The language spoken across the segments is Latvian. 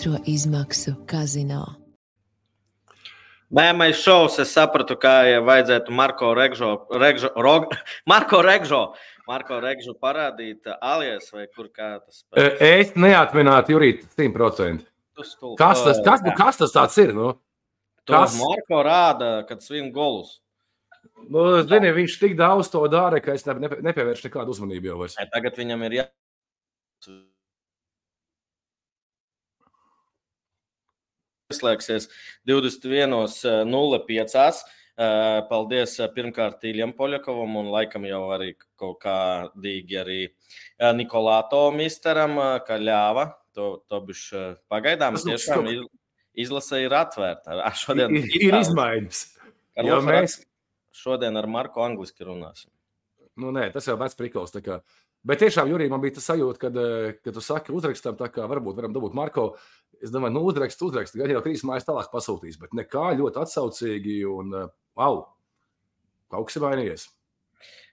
otro izmaksu kazino. Bēmais šovs, es sapratu, kā vajadzētu Marko Regžu parādīt alias vai kur kā tas spēlē. Es neatminētu Jurīt 100%. Kas tas tāds ir? Nu? Kas? Marko rāda, kad svin golus. Nu, zini, viņš tik daudz to dara, ka es nepievēršu nekādu uzmanību jau vairs. Tagad viņam ir Ieslēgsies 21.05. Paldies pirmkārt Iljam Poļakovam un laikam jau arī kaut kādīgi arī Nikolāto misteram, ka ļāva. To bišķi pagaidām tiešām izlase ir atvērta. Ir izmaiņas. Jo mēs šodien ar Marku angliski runāsim. Nu nē, tas jau vec prikals. Bet tiešām, Jurij, man bija tas sajūta, kad tu saki uzrakstam, tā kā varbūt varam dabūt Marko. Es domāju, nu uzrakst, gan jau 3 mājas tālāk pasūtīs, bet nekā ļoti atsaucīgi un kaut kas ir mainījies.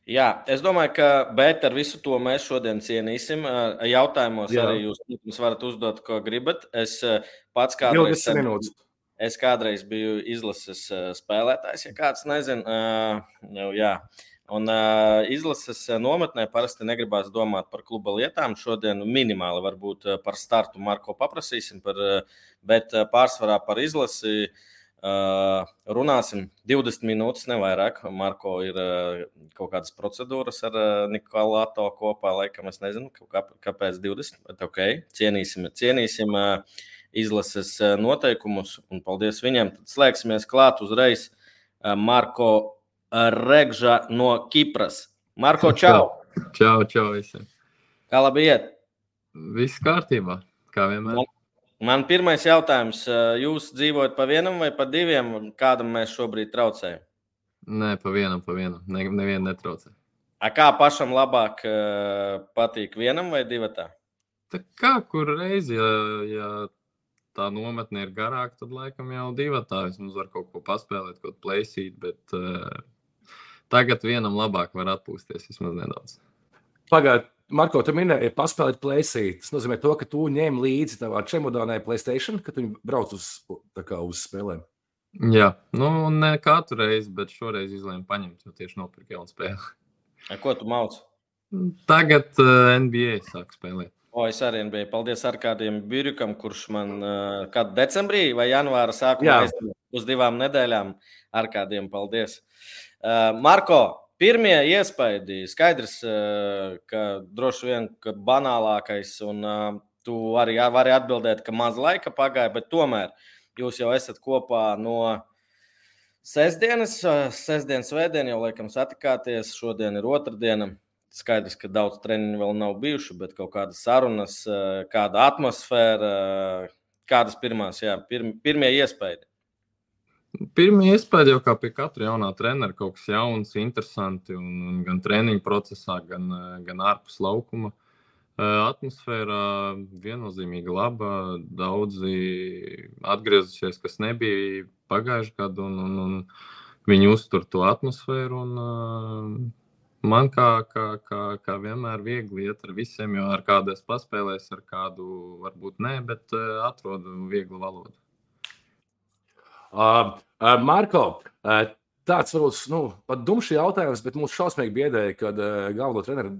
Jā, es domāju, bet ar visu to mēs šodien cienīsim. Jautājumos arī jūs varat uzdot, ko gribat. Es pats kādreiz biju izlases spēlētājs, ja kāds nezina. Jā. Un izlases nometnē parasti negribās domāt par kluba lietām. Šodien minimāli varbūt par startu Marko paprasīsim, bet pārsvarā par izlasi runāsim 20 minūtes, nevairāk. Marko ir kaut kādas procedūras ar Nikolāto kopā, laikam es nezinu, kāpēc 20, bet ok, cienīsim izlases noteikumus un paldies viņiem. Tad slēgsimies klāt uzreiz Marko Regža no Kipras. Marko, čau! Čau visiem! Kā labi iet? Viss kārtībā, kā vienmēr. Man pirmais jautājums. Jūs dzīvojat pa vienam vai pa diviem? Kādam mēs šobrīd traucējam? Nē, pa vienam. Nevienu netraucē. Kā pašam labāk patīk vienam vai divatā? Tā kā kur reizi, ja tā nometne ir garāka, tad laikam jau divatā. Vismaz var kaut ko paspēlēt, kaut playsīt, bet tagad vienam labāk var atpūsties vismaz nedaudz. Pagād, Marko, tu minēji paspēlēt playsīt. Tas nozīmē to, ka tu ņem līdzi tavā čemodānai PlayStation, kad tu brauc uz spēlēm. Jā, ne katru reizi, bet šoreiz izlēmu paņemt, jo tieši nopirku jaunu spēli. Ko tu mauc? Tagad NBA sāk spēlēt. Es arī biju. Paldies Arkādijam Birjukam, kurš man kad decembrī vai janvāra sākumā uz 2 nedēļām. Arkādijam paldies. Marko, pirmie iespaidi, skaidrs, ka droši vien, ka banālākais, un tu arī vari atbildēt, ka maz laika pagāja, bet tomēr jūs jau esat kopā no sestdienas, svētdien jau laikam satikāties, šodien ir otrdiena. Skaidrs, ka daudz treniņu vēl nav bijuši, bet kaut kādas sarunas, kāda atmosfēra, kādas pirmie iespaidi? Pirmie iespaidi jau kā pie katra jaunā trenera, kaut kas jauns, interesanti, un gan treniņu procesā, gan ārpus laukuma. Atmosfēra viennozīmīgi laba, daudzi atgriezušies, kas nebija pagājuši gadu, un viņi uztur to atmosfēru, un man kā vienmēr viegli iet ar visiem, jo ar kādu es paspēlēs, ar kādu varbūt nē, bet atrodu vieglu valodu. Marko, tāds varbūt pat dumšs jautājums, bet mūs šausmīgi biedēja, kad galveno treneru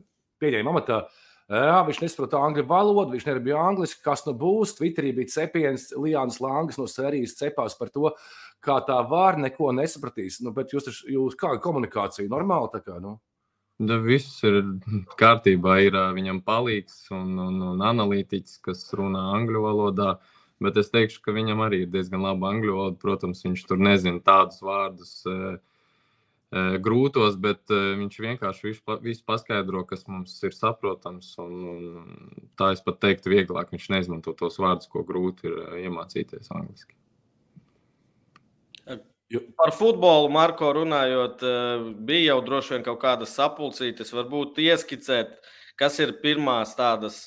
pieņēma amatā. Viņš nesaprota angļu valodu, viņš nebija angliski, kas būs. Twitterī bija cepiens, Lijāns Langas no sērijas cepās par to, kā tā var, neko nesapratīs. Bet jūs kā komunikācija normāli tā kā, Viss ir kārtībā, ir viņam palīgs un analītiķis, kas runā angļu valodā, bet es teikšu, ka viņam arī ir diezgan laba angļu valoda. Protams, viņš tur nezina tādus vārdus grūtos, bet viņš vienkārši visu paskaidro, kas mums ir saprotams, un tā es pat teiktu vieglāk, viņš neizmanto tos vārdus, ko grūti ir iemācīties angliski. Par futbolu, Marko, runājot, bija jau droši vien kaut kādas sapulcītes, varbūt ieskicēt, kas ir pirmās tādas,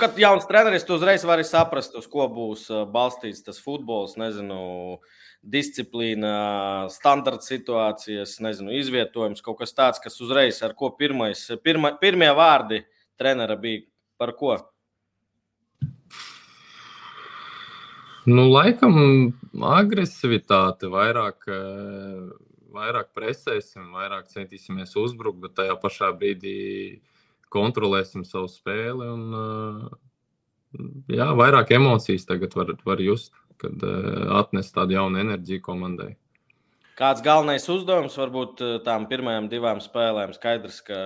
kad jauns treneris, tu uzreiz vari saprast, uz ko būs balstīts tas futbols, disciplīna, standarta situācijas, izvietojums, kaut kas tāds, kas uzreiz, ar ko pirmie vārdi trenera bija, par ko? Laikam agresivitāte, vairāk presēsim, vairāk centīsimies uzbrukt, bet tajā pašā brīdī kontrolēsim savu spēli un vairāk emocijas tagad var just, kad atnes tādu jaunu enerģiju komandai. Kāds galvenais uzdevums varbūt tām pirmajām 2 spēlēm? Skaidrs, ka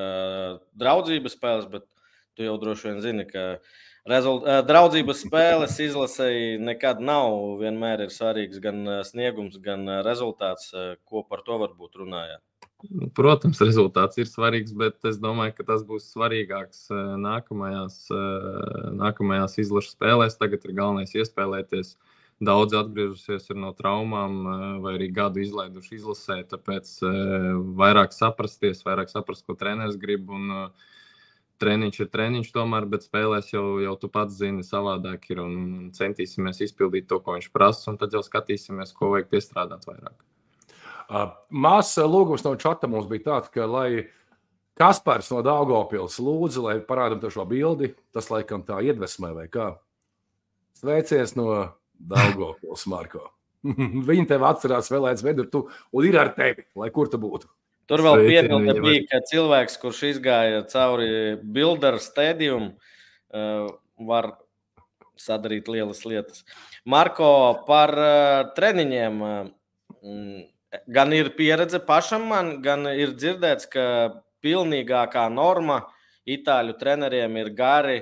draudzības spēles, bet tu jau droši vien zini, ka draudzības spēles izlasēji nekad nav. Vienmēr ir svarīgs gan sniegums, gan rezultāts. Ko par to varbūt runājāt? Protams, rezultāts ir svarīgs, bet es domāju, ka tas būs svarīgāks nākamajās izlašu spēlēs. Tagad ir galvenais iespēlēties. Daudz atgriežusies no traumām vai arī gadu izlaiduši izlasē, tāpēc vairāk saprast, ko treneris grib. Un treniņš ir treniņš tomēr, bet spēlēs jau tu pats zini, savādāk ir un centīsimies izpildīt to, ko viņš prasa, un tad jau skatīsimies, ko vajag piestrādāt vairāk. Māsas lūgums no čata mums bija tāds, ka lai Kaspars no Daugavpils lūdzu, lai parādam to šo bildi, tas laikam tā iedvesmē vai kā. Sveiciens no Daugavpils, Marko. Viņi tev atcerās vēlēts vedu un ir ar tevi, lai kur tu būtu. Tur vēl piebilde bija, ka cilvēks, kurš izgāja cauri Builder stadium, var sadarīt lielas lietas. Marko, par treniņiem gan ir pieredze pašam man, gan ir dzirdēts, ka pilnīgākā norma itāļu treneriem ir gari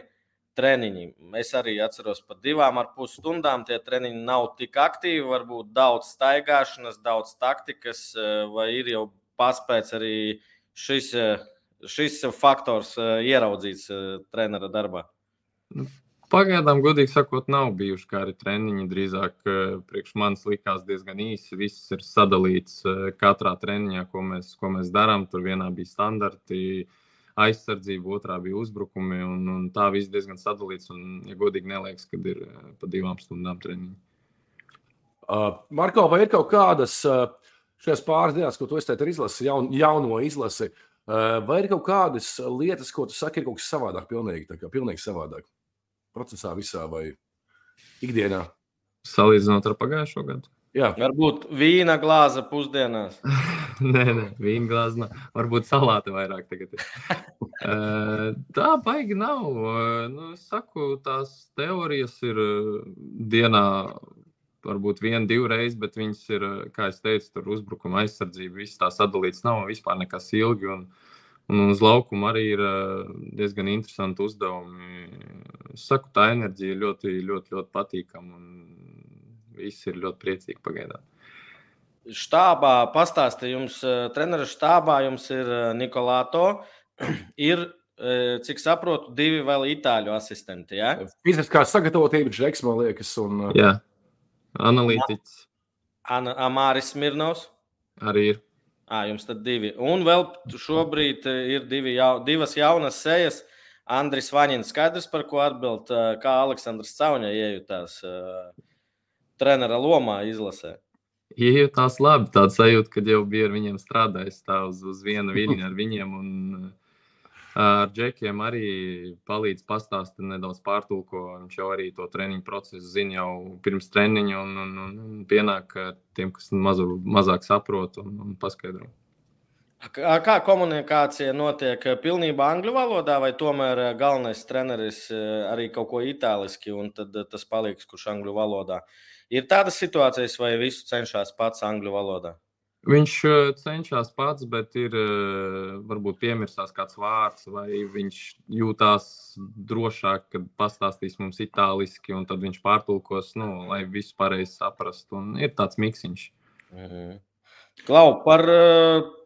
treniņi. Es arī atceros par 2,5 stundām. Tie treniņi nav tik aktīvi, varbūt daudz staigāšanas, daudz taktikas, vai ir jau paspēc arī šis faktors ieraudzīts trenera darbā? Pagaidām, godīgi sakot, nav bijuši gari treniņi. Drīzāk priekš manis likās diezgan īsi. Viss ir sadalīts katrā treniņā, ko mēs darām. Tur vienā bija standarti aizsardzība, otrā bija uzbrukumi, un tā viss diezgan sadalīts. Un, ja godīgi neliekas, kad ir pa 2 stundām treniņi. Marko, vai ir kaut kādas šajās pāris dienās, ko tu esi izlasi, jauno izlasi, vai ir kaut kādas lietas, ko tu saki, ir kaut kas savādāk, pilnīgi savādāk? Procesā visā vai ikdienā? Salīdzinot ar pagājušo gadu? Jā. Varbūt vīna glāze pusdienās. Nē, vīna glāze nav. Varbūt salāti vairāk tagad ir. Tā baigi nav. Es saku, tās teorijas ir dienā varbūt 1-2 reizes, bet viņas ir, kā es teicu, tur uzbrukuma aizsardzība, viss tā sadalīts nav, vispār nekas ilgi, un uz laukumu arī ir diezgan interesanti uzdevumi. Es saku, tā enerģija ļoti, ļoti, ļoti patīkama, un visi ir ļoti priecīgi pagaidām. Štābā pastāsti jums, treneru štābā jums ir Nikolāto, ir, cik saprotu, 2 vēl itāļu asistenti, ja? Fiziskā sagatavotība, Džeks, man liekas, un... Jā. Analītiķis. Amāris Smirnovs. Arī ir. Jums tad 2. Un vēl šobrīd ir 2 jaunas sejas. Andris Vaņins, skaidrs, par ko atbild, kā Aleksandrs Cauņa iejutās trenera lomā izlasē. Iejutās labi, tāds sajūta, kad jau bija ar viņiem strādājis tā uz vienu viļņu ar viņiem, un ar Džekiem arī palīdz pastāstīt nedaudz pārtulko. Viņš jau arī to treniņu procesu zina jau pirms treniņa un pienāk tiem, kas mazāk saprot un paskaidro. Kā komunikācija notiek pilnībā angļu valodā, vai tomēr galvenais treneris arī kaut ko itāliski, un tad tas paliks, kurš angļu valodā? Ir tādas situācijas, vai visu cenšas pats angļu valodā? Viņš cenšas pats, bet ir varbūt piemirstās kāds vārds, vai viņš jūtās drošāk, kad pastāstīs mums itāliski, un tad viņš pārtulkos, lai visu pareizi saprastu. Un ir tāds miksiņš. Klau, par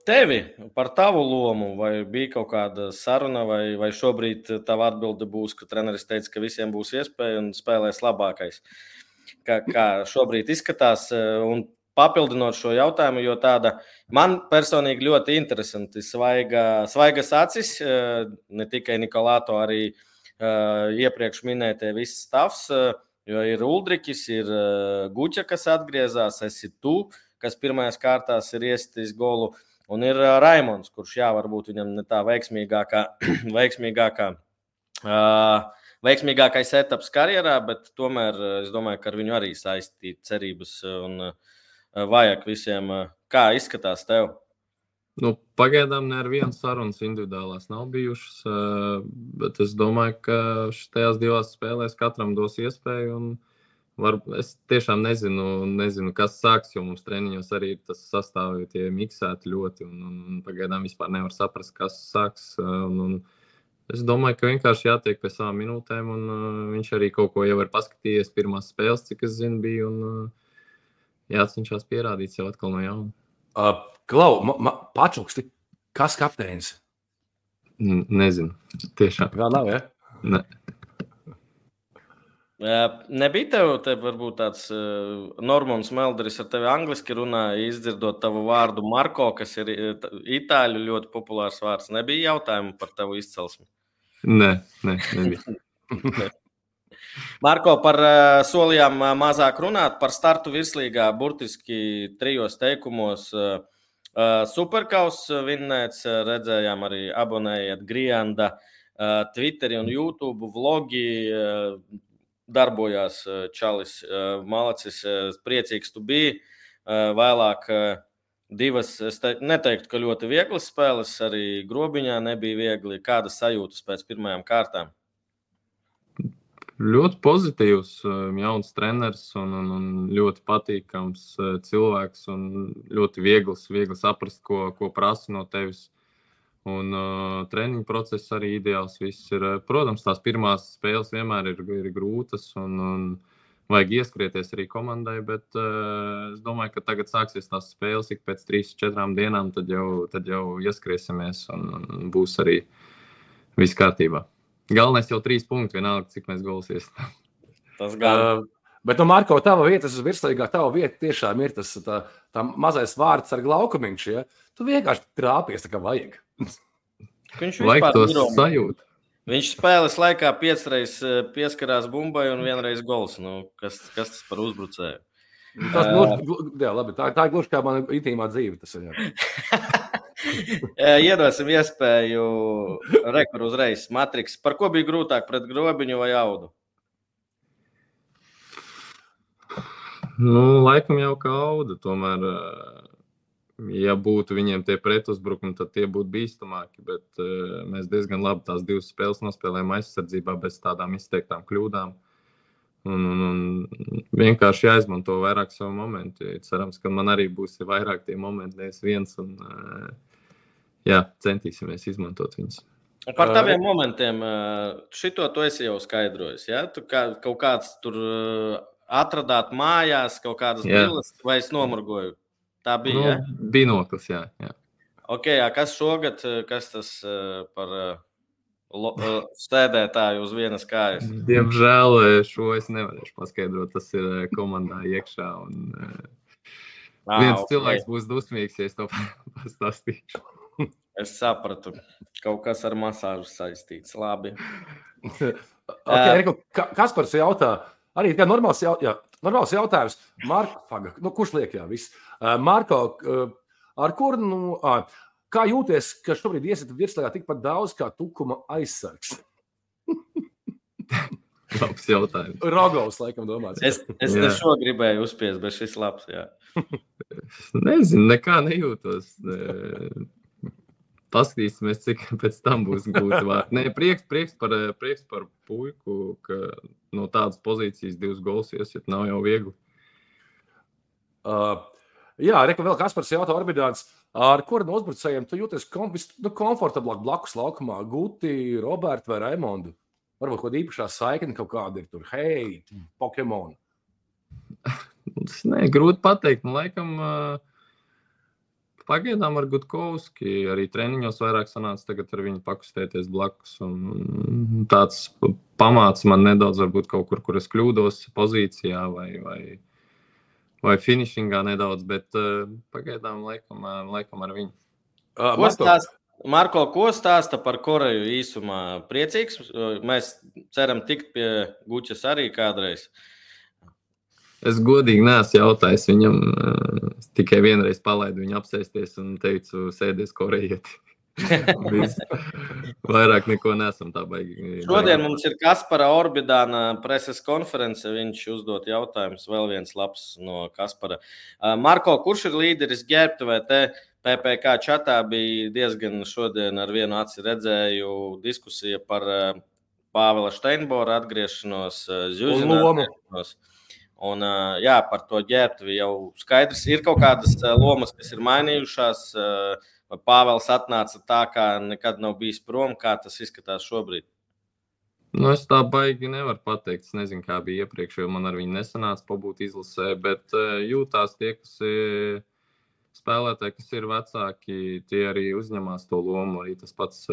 tevi, par tavu lomu, vai bija kaut kāda saruna, vai šobrīd tava atbilde būs, ka treneris teica, ka visiem būs iespēja un spēlēs labākais? Kā šobrīd izskatās, un papildinot šo jautājumu, jo tāda man personīgi ļoti interesanti svaigas acis, ne tikai Nikolāto, arī iepriekš minētie viss stāvs, jo ir Uldrikis, ir Guķa, kas atgriezās, esi tu, kas pirmajās kārtās ir iesitījis golu, un ir Raimons, kurš varbūt viņam ne tā veiksmīgākā veiksmīgākais etaps karjerā, bet tomēr es domāju, ka ar viņu arī saistīt cerības un vajag visiem. Kā izskatās tev? Nu, pagaidām ne ar vienu sarunas individuālās nav bijušas, bet es domāju, ka šajās 2 spēlēs katram dos iespēju. Es tiešām nezinu, kas sāks, jo mums treniņos arī tas sastāvi tie miksēti ļoti, un pagaidām vispār nevar saprast, kas sāks. Es domāju, ka vienkārši jātiek pie savām minūtēm, un viņš arī kaut ko jau ir paskatījies pirmās spēles, cik es zinu, bija, un jācenšas pierādīt sev atkal no jauna. Klau, pačuksti, kas kapteinis? Nezinu, tiešām. Vēl nav, ja? Ne. Nebija tev varbūt tāds Normons Melderis ar tevi angliski runāja, izdzirdot tavu vārdu Marko, kas ir itāļu ļoti populārs vārds. Nebija jautājumu par tavu izcelsmi? Nebija. Marko, par solījām mazāk runāt, par startu virslīgā burtiski 3 teikumos. Superkaus vinnēts, redzējām arī abonējiet Grianda, Twitteri un YouTube vlogi, darbojās Čalis Malacis, priecīgs tu biji. Vēlāk 2, es neteiktu, ka ļoti vieglas spēles, arī Grobiņā nebija viegli. Kādas sajūtas pēc pirmajām kārtām? Ļoti pozitīvs, jauns treneris un ļoti patīkams cilvēks un ļoti viegli saprast, ko prasa no tevis. Un treniņu process arī ideāls viss ir. Protams, tās pirmās spēles vienmēr ir grūtas un vajag ieskrieties arī komandai, bet es domāju, ka tagad sāksies tās spēles ik pēc 3-4 dienām, tad jau ieskriesimies un būs arī viss kārtībā. Galvenais jau 3 punkti, vienalga, cik mēs gols iestām. Tas gan. Bet, Marko, tava vieta, virslīgā tava vieta tiešām ir tas tā mazais vārds ar glaukumiņš, ja? Tu vienkārši trāpies, tā kā vajag. Vajag to sajūt. Viņš spēles laikā 5 reizes pieskarās bumbai un 1 reiz gols. Kas tas par uzbrucēju? Jā, labi, tā ir gluži kā mana intīmā dzīve. Tas ir, Iedosim iespēju rekuru uzreiz. Matriks, par ko bija grūtāk, pret Grobiņu vai Audu? Laikam jau kā Auda, tomēr, ja būtu viņiem tie pretuzbrukumi, tad tie būtu bīstamāki, bet mēs diezgan labi tās 2 spēles nospēlējām aizsardzībā bez tādām izteiktām kļūdām. Un vienkārši jāizmanto vairāk savu momentu. Cerams, ka man arī būs vairāk tie momenti, nevis viens, un centīsimies izmantot viņus. Par taviem momentiem, šito tu esi jau skaidrojis, ja? Tu kaut kāds tur atradāt mājās, kaut kādas brilles, vai es nomurgoju? Tā bija, ja? Binoklis, jā. Ok, kas šogad, kas tas par stēdētāju uz vienas kājas? Diemžēl šo es nevarēšu paskaidrot, tas ir komandā iekšā, un viens cilvēks būs dusmīgs, ja es to pastāstīšu. Es sapratu, kaut kas ar masāžu saistīts, labi. Kaspars jautā, arī kā normāls jautājums, Marko, kurš liek, viss. Marko, ar kuru, kā jūties, ka šobrīd iesiet virslīgā tikpat daudz kā Tukuma aizsargs? Labs jautājums. Rogovs, laikam, domāts. Es šo gribēju uzspiest, bet šis labs, jā. Nezinu, nekā nejūtos. Paskatīsimies, cik pēc tam būs gūti vārdi. Prieks par puiku, ka no tādas pozīcijas 2 gols iesiet nav jau viegli. Vēl Kaspars jautā Orbidāns, ar kuru no uzbrucējiem tu jūties komfortablāk blakus laukumā? Guti, Robertu vai Raimondu? Varbūt kaut īpašā saikne kaut kāda ir tur. Hei, Pokemon. Grūti pateikt. Laikam pagaidām ar Gutkovski arī treniņos vairāk sanāca tagad ar viņu pakustēties blakus. Un tāds pamāts man nedaudz varbūt kaut kur es kļūdos pozīcijā vai finishingā nedaudz, bet pagaidām laikam ar viņu. Marko, ko stāsta par Koreju īsumā? Priecīgs? Mēs ceram tikt pie Gučas arī kādreiz. Es godīgi neesmu jautājis viņam, tikai vienreiz palaidu viņu apsēsties un teicu, sēdies korejieti. Vairāk neko nesam tā baigi. Šodien mums ir Kaspara Orbidāna preses konference. Viņš uzdot jautājumus. Vēl viens labs no Kaspara. Marko, kurš ir līderis ģērbtuvē? Te PPK čatā bija diezgan šodien ar vienu aci redzēju diskusija par Pāvela Steinbora atgriešanos, Zjužina atgriešanos. Un, jā, par to ģērbtuvi jau skaidrs. Ir kaut kādas lomas, kas ir mainījušās. Pāvels atnāca tā, kā nekad nav bijis prom. Kā tas izskatās šobrīd? Nu, es tā baigi nevaru pateikt. Es nezinu, kā bija iepriekš, jo man ar viņu nesanāca pabūt izlasē, bet jūtās tie, kas spēlētāji, kas ir vecāki, tie arī uzņemās to lomu. Arī tas pats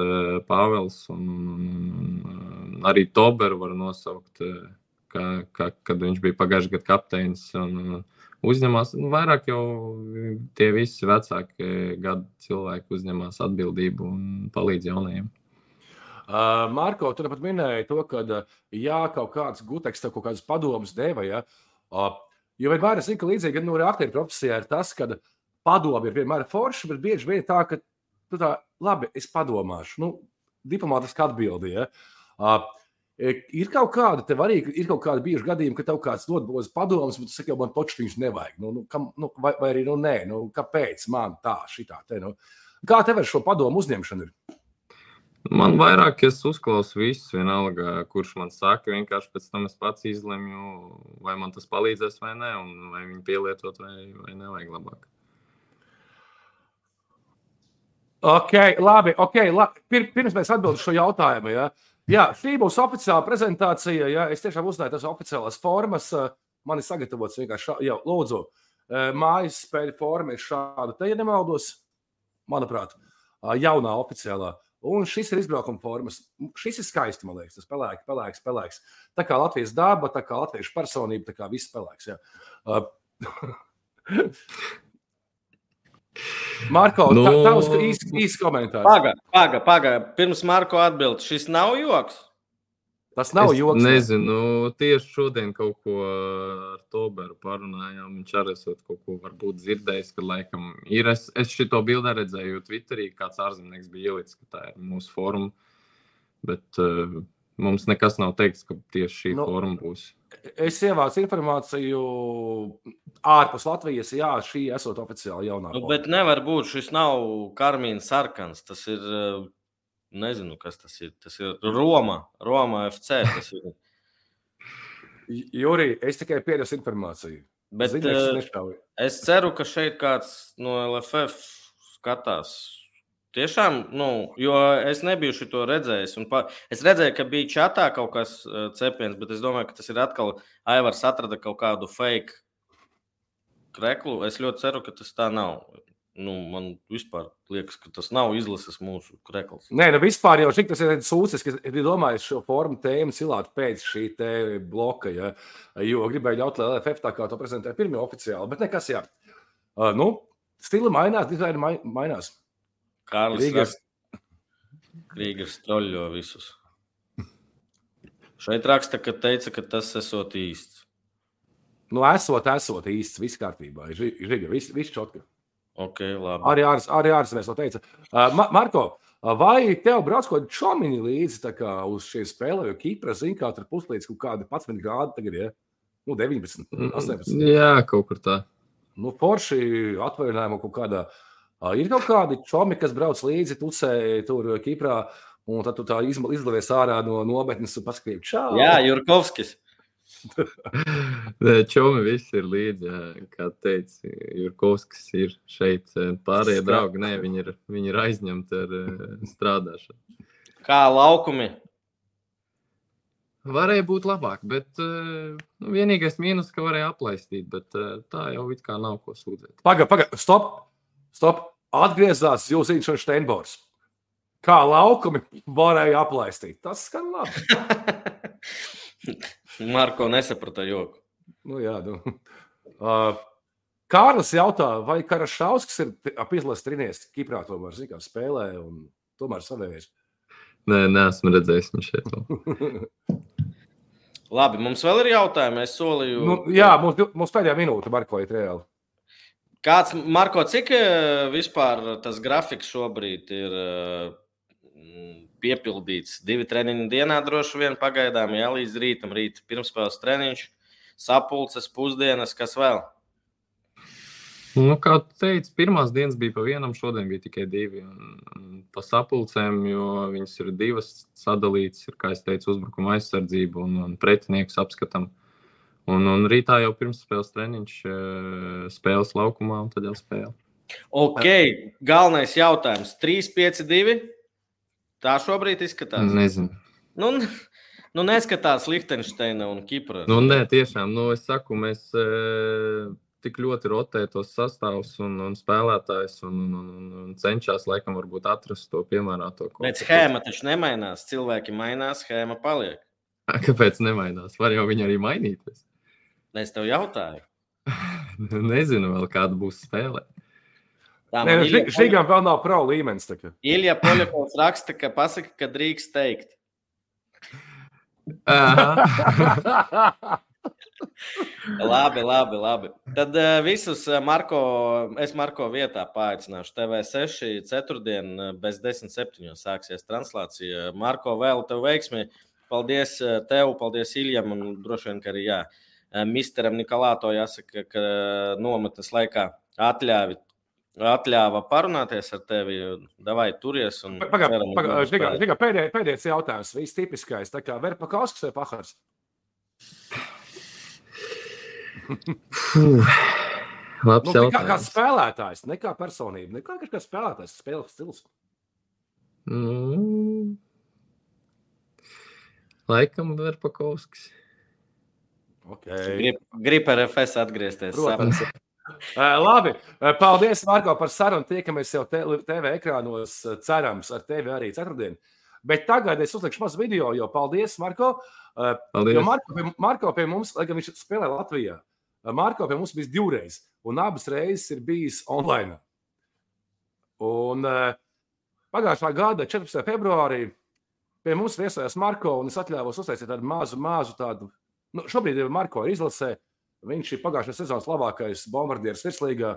Pāvels un arī Toberu var nosaukt, kad viņš bija pagājušajā gadu kapteinis un uzņemās. Vairāk jau tie visi vecāki gadu cilvēki uzņemās atbildību un palīdz jaunajiem. Marko, tu pat minēji to, ka jā, kaut kāds Guteks tev kaut kādas padomas deva, ja? Jo vienmēr es zinu, ka līdzīgi no aktieru profesijā ir tas, ka padomi ir vienmēr forši, bet bieži vien tā, ka tu tā, labi, es padomāšu. Nu, diplomātiski atbildi, ja? Ir kaut kāda, tev arī ir kaut kāda bieži gadījumi, ka tev kāds dod padomas, bet tu saki, jau man toču viņus nevajag. Vai arī nē, kāpēc man tā, šitā te, Kā tev ar šo padomu uzņemšanu ir? Man vairāk es uzklausu visus, vienalga, kurš man saka, vienkārši pēc tam es pats izlemju, vai man tas palīdzēs vai ne, un vai viņu pielietot vai nevajag labāk. Labi. Pirms mēs atbildam šo jautājumu, ja? Jā, šī būs oficiāla prezentācija, ja? Es tiešām uzzināju tas oficiālās formas, man ir sagatavots vienkārši, jā, lūdzu, mājas spēļu forma ir šāda, te, ja nemaldos, manuprāt, jaunā oficiālā. Un šis ir izbraukuma formas. Šis ir skaisti, man liekas, tas pelēks. Tā kā Latvijas daba, tā kā latviešu personība, tā kā viss pelēks, jā. Marko, tavs īsts komentārs. Paga. Pirms Marko atbild, šis nav joks? Tas nav joks. Nezinu, tieši šodien kaut ko ar Toberu parunājām. Viņš arī esot kaut ko varbūt dzirdējis, ka laikam ir. Es šito bildā redzēju Twitterī, kāds ārzemnieks bija ielicis, ka tā ir mūsu forma. Bet mums nekas nav teikts, ka tieši šī forma būs. Es ievācu informāciju ārpus Latvijas, jā, šī esot oficiāli jaunā forma. Bet nevar būt, šis nav karmīna sarkans, tas ir... Nezinu, kas tas ir. Tas ir Roma FC. Tas ir. Juri, es tikai piedesu informāciju. Bet es ceru, ka šeit kāds no LFF skatās. Tiešām, jo es nebiju šito redzējis. Es redzēju, ka bija čatā kaut kas cepiens, bet es domāju, ka tas ir atkal Aivars atrada kaut kādu fake kreklu. Es ļoti ceru, ka tas tā nav. Man vispār liekas, ka tas nav izlases mūsu krekls. Nē, vispār jau šik tas ir sūcis, ka ir domājis šo formu tēmu cilāt pēc šī te bloka, ja? Jo gribēju ļaut, lai LFF tā kā to prezentē pirmie oficiāli, bet nekas, jā. Stila mainās, dizaina mainās. Kārlis Krīgers troļļo visus. Šeit raksta, ka teica, ka tas esot īsts. Esot īsts, viss kārtībā. Žiga, viss čotka. Ok, labi. Arī ārzemēs to teica. Marko, vai tev brauc kaut kādi čomiņi līdzi tā kā uz šiem spēlēm, jo Kipra, zin, kā tur puslīdz kaut kādi 11 grādi tagad, ja? 19, 18. Jā, kaut kur tā. Porši atvaļinājumu kaut kādā. Ir kaut kādi čomi, kas brauc līdzi, tucē tur Kiprā, un tad tu tā izlavies ārā no nometnes un paskatīji, čau. Jā, Jurkovskis. Čomi visi ir līdzi, kā teica, Jurkovskis ir šeit. Pārējie draugi, viņi ir aizņemti ar strādāšanu. Kā laukumi? Varēja būt labāk, bet vienīgais mīnus, ka varēja aplaistīt, bet tā jau it kā nav ko sūdzēt. Paga, stop. Atgriezās Jūziņš un Steinbors. Kā laukumi varēja aplaistīt. Tas skan labi. Marko nesaprata joku. Jā. Kārlis jautā, vai Karašauskas ir izlases trinieks Kiprā tomēr, zin, kā spēlē un tomēr savējais? Nē, neesmu redzējis viņš šeit. Labi, mums vēl ir jautājumi, es solīju. Jā, mums pēdējā minūte, Marko, ir reāli. Kāds, Marko, cik vispār tas grafiks šobrīd ir piepildīts? 2 treniņu dienā droši vien pagaidām, jā, līdz rītam, rīt pirmspēles treniņš, sapulces, pusdienas, kas vēl? Nu, kā teicu, pirmās dienas bija pa vienam, šodien bija tikai 2. Un pa sapulcēm, jo viņas ir 2 sadalītas, ir, kā es teicu, uzbrukuma aizsardzība un pretinieks apskatam. Un rītā jau pirmspēles treniņš, spēles laukumā un tad jau spēle. Ok, galvenais jautājums. 3-5-2? Tā šobrīd izskatās? Nezinu. Nu neskatās Lihtenšteina un Kipra. Nu, nē, tiešām. Nu, es saku, mēs tik ļoti rotē tos sastāvus un spēlētājs un cenšas, laikam, varbūt atrast to piemērāto. Bet schēma taču nemainās. Cilvēki mainās, schēma paliek. Kāpēc nemainās? Var jau viņi arī mainīties. Es tev jautāju. Nezinu vēl, kāda būs spēle. Šīgām vēl nav pro līmenis. Ilja Poļakovs raksta, ka pasaka, ka drīkst teikt. Labi. Tad visus Marko vietā paaicināšu. TV6 ceturtdien bez 10:07 sāksies translācija. Marko, vēl tev veiksmi. Paldies tev, paldies Iljam un droši vien, ka arī misteram Nikolāto jāsaka, ka nometnes laikā atļāva parunāties ar tevi. Davai, turies. Pēdējais jautājums. Viss tipiskais. Tā kā Verpakovskis vai Pahars? Labs jautājums. Kā spēlētājs, ne kā personība, ne kā spēlētājs, spēles stils. Laikam Verpakovskis. Okay. Grib ar FS atgriezties. Labi, paldies, Marko, par sarunu. Tiekamies jau TV ekrānos, cerams, ar tevi arī ceturtdien. Bet tagad es uzlikšu mazu video, jo paldies, Marko. Paldies. Jo Marko pie mums, lai gan viņš spēlē Latvijā, Marko pie mums bijis 2 reizes, un abas reizes ir bijis online. Un pagājušā gada 14. februārī pie mums viesojās Marko, un es atļāvos uztaisīt tādu mazu tādu. Šobrīd ir Marko izlasē. Viņš ir pagājušās sezonas labākais bombardieris virslīgā.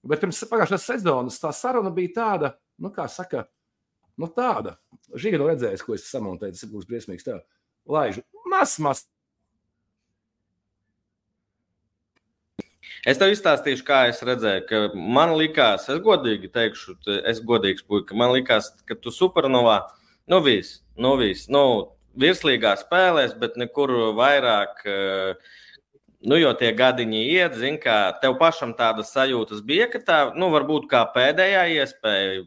Bet pirms pagājušās sezonas tā saruna bija tāda, kā saka, tāda. Žiga no redzējis, ko es samontēju, tas būs briesmīgs tā. Laižu, mas. Es tev izstāstīšu, kā es redzēju, ka man likās, es godīgi teikšu, es godīgs puika, man likās, ka tu supernovā, viss. Virslīgā spēlēs, bet nekur vairāk, jo tie gadiņi iet, zin, kā tev pašam tādas sajūtas bija, ka tā, varbūt kā pēdējā iespēja,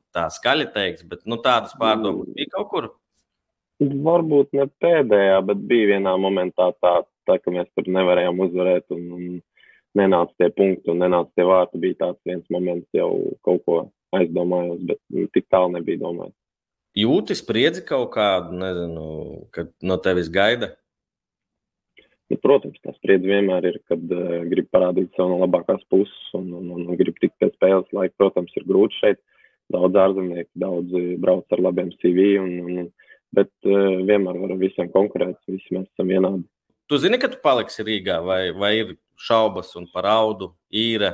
tā skaļi teiks, bet tādas pārdomas bija kaut kur? Varbūt ne pēdējā, bet bija vienā momentā tā, ka mēs tur nevarējām uzvarēt un nenāca tie punkti un nenāca tie vārti. Bija tāds viens moments, jau kaut ko aizdomājos, bet tik tālu nebija domājis. Jūti spriedzi kaut kādu, nezinu, kad no tevis gaida? Protams, tā spriedzi vienmēr ir, kad grib parādīt savu no labākās puses un grib tikt pēc spēles laika. Protams, ir grūti šeit. Daudz ārzemnieki, daudz brauc ar labiem CV, bet vienmēr varam visiem konkurēt, visi mēs esam vienādi. Tu zini, ka tu paliksi Rīgā vai ir šaubas un par Audu, Īre?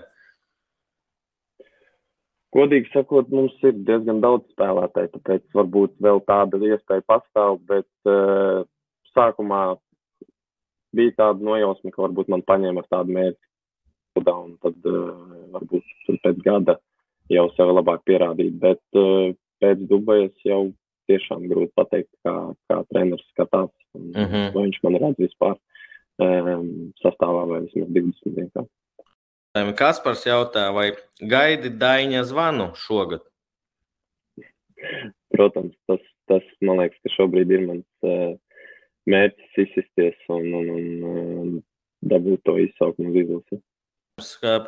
Godīgi sakot, mums ir diezgan daudz spēlētāji, tāpēc varbūt vēl tāda iespēja pastāv, bet sākumā bija tāda nojausma, ka varbūt man paņēma ar tādu mērķi, un tad varbūt pēc gada jau sevi labāk pierādīt, bet pēc Dubajas jau tiešām grūti pateikt, kā treneris skatās, vai viņš man redz vispār sastāvā vai vismaz 20 dienā. Kaspars jautā, vai gaidi Daiņa zvanu šogad? Protams, tas man liekas, ka šobrīd ir mans mērķis izsisties un dabūt to izsaukumu uz izlasi.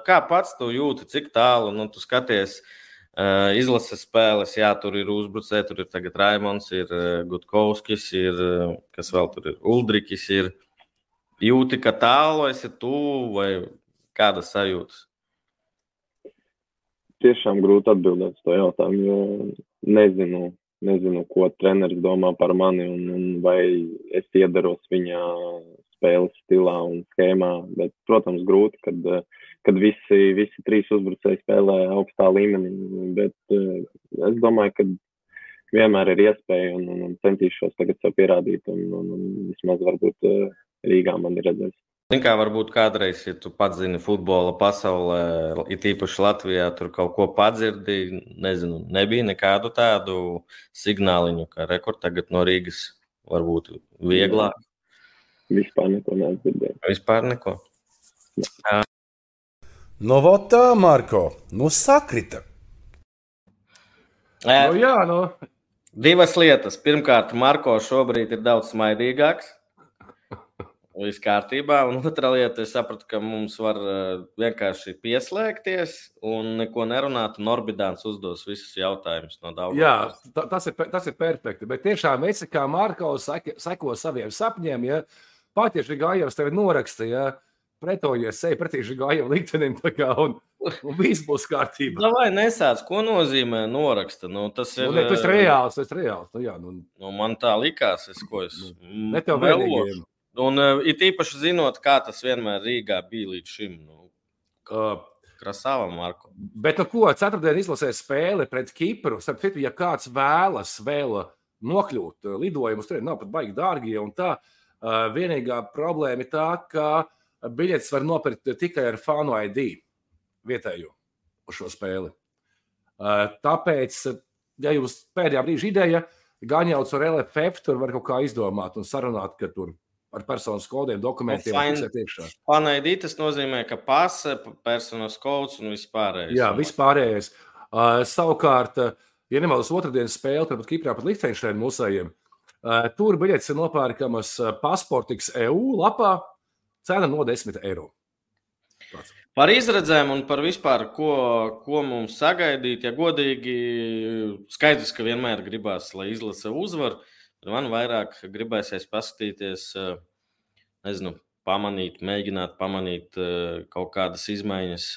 Kā pats tu jūti, cik tālu, tu skaties izlases spēles, jā, tur ir uzbrucē, tur ir tagad Raimons, ir Gutkovskis, ir, kas vēl tur ir, Uldrikis ir. Jūti, ka tālu esi tu vai kādas sajūtas? Tiešām grūti atbildēt to jautājumu, jo nezinu, ko treneris domā par mani un vai es iedaros viņa spēles stilā un schēmā, bet, protams, grūti, kad kad visi 3 uzbrucēji spēlē augstā līmenī, bet es domāju, ka vienmēr ir iespēja un centīšos tagad sev pierādīt un vismaz varbūt Rīgā man ir redzējis. Kā varbūt kādreiz, ja tu pats zini futbola pasaulē, it īpaši Latvijā, tur kaut ko padzirdi, nezinu, nebija nekādu tādu signāliņu, ka rekord tagad no Rīgas varbūt vieglāk. Vispār neko neatdzirdēju. Vispār neko. No votā, Marko, sakrita. Divas lietas. Pirmkārt, Marko šobrīd ir daudz smaidīgāks. Viss kārtībā. Un otra lieta, es sapratu, ka mums var vienkārši pieslēgties un neko nerunāt. Norbidāns uzdos visus jautājumus no daudz. Jā, tas ir perfekti. Bet tiešām visi, kā Marko seko saviem sapņiem, ja patieši Gājevs tevi noraksta, ja pretojies sevi pretī Gājevu liktenim, un viss būs kārtībā. Vai nesāc, ko nozīmē noraksta? Tas ir... Tas reāls. Man tā likās, ne tev vēlīgiem. Un it īpaši zinot, kā tas vienmēr Rīgā bija līdz šim. Krasāvam, Marko. Bet ko, ceturtdien izlasēs spēle pret Kipru. Starp, ja kāds vēlas vēl nokļūt lidojumus, tur nav pat baigi dārgie un tā. Vienīgā problēma ir tā, ka biļetes var nopirkt tikai ar Fanu ID vietējo uz šo spēli. Tāpēc, ja jums pēdējā brīža ideja, gaņauts ar LFF, tur var kaut kā izdomāt un sarunāt, ka tur ar personas kodiem, dokumentiem fiksēt iekšā. Fan ID tas nozīmē, ka pase, personas kods un vispārējais. Jā, vispārējais. Savukārt, ja nemaldos otrdienas spēle, tad Kiprā pat Lichtensteina mūsējiem, tur biļetes ir nopērkamas Pasportiks EU lapā, cena no 10 eiro. Par izredzēm un par vispār, ko mums sagaidīt, ja godīgi, skaidrs, ka vienmēr gribās, lai izlase uzvar. Man vairāk gribēsies paskatīties, mēģināt pamanīt kaut kādas izmaiņas,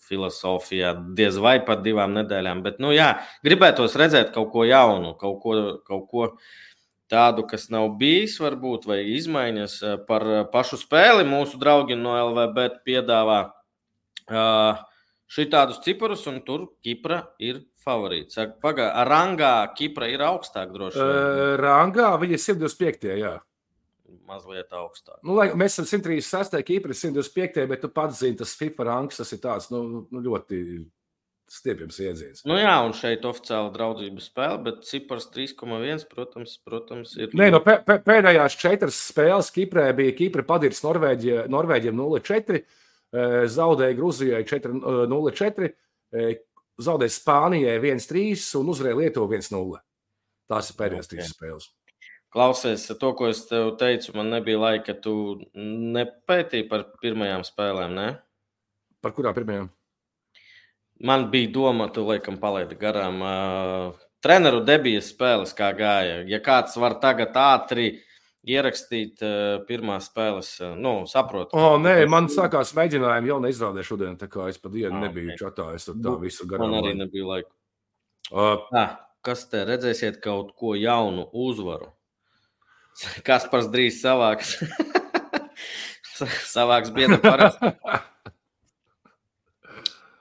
filosofijā, diez vai pat 2 nedēļām. Bet, gribētos redzēt kaut ko jaunu, kaut ko tādu, kas nav bijis, varbūt, vai izmaiņas par pašu spēli. Mūsu draugi no LVB piedāvā šitādus ciparus, un tur Kipra ir favorīts. Rangā Kipra ir augstāk droši vien. Rangā viņa ir 125, jā. Mazliet augstāk. Mēs esam 136, Kipra ir 125, bet tu pats zini, tas FIFA rangs, tas ir tāds, ļoti stiepjams iedziens. Un šeit oficiāla draudzības spēle, bet cipars 3,1, protams, ir... Pēdējās 4 spēles Kiprē bija Kipra padirs Norvēģiem 0-4, zaudēja Gruzijai 4-0-4, zaudēja Spānijai 1-3 un uzvarēja Lietuvu 1-0. Tās ir pēdējās 3 spēles. Klausies, to, ko es tev teicu, man nebija laika, tu nepētīji par pirmajām spēlēm, ne? Par kurām pirmajām? Man bija doma, tu laikam palaidi garām. Treneru debijas spēles kā gāja. Ja kāds var tagad ātri ierakstīt pirmās spēles, saprotu. Nē, man sākās mēģinājumi jau neizrādē šodien, tā kā es pa dienu nebiju čatā, es tur tā visu garām. Man arī nebija laika. Kas te redzēsiet kaut ko jaunu uzvaru? Kaspars drīz savāks bieda parasti.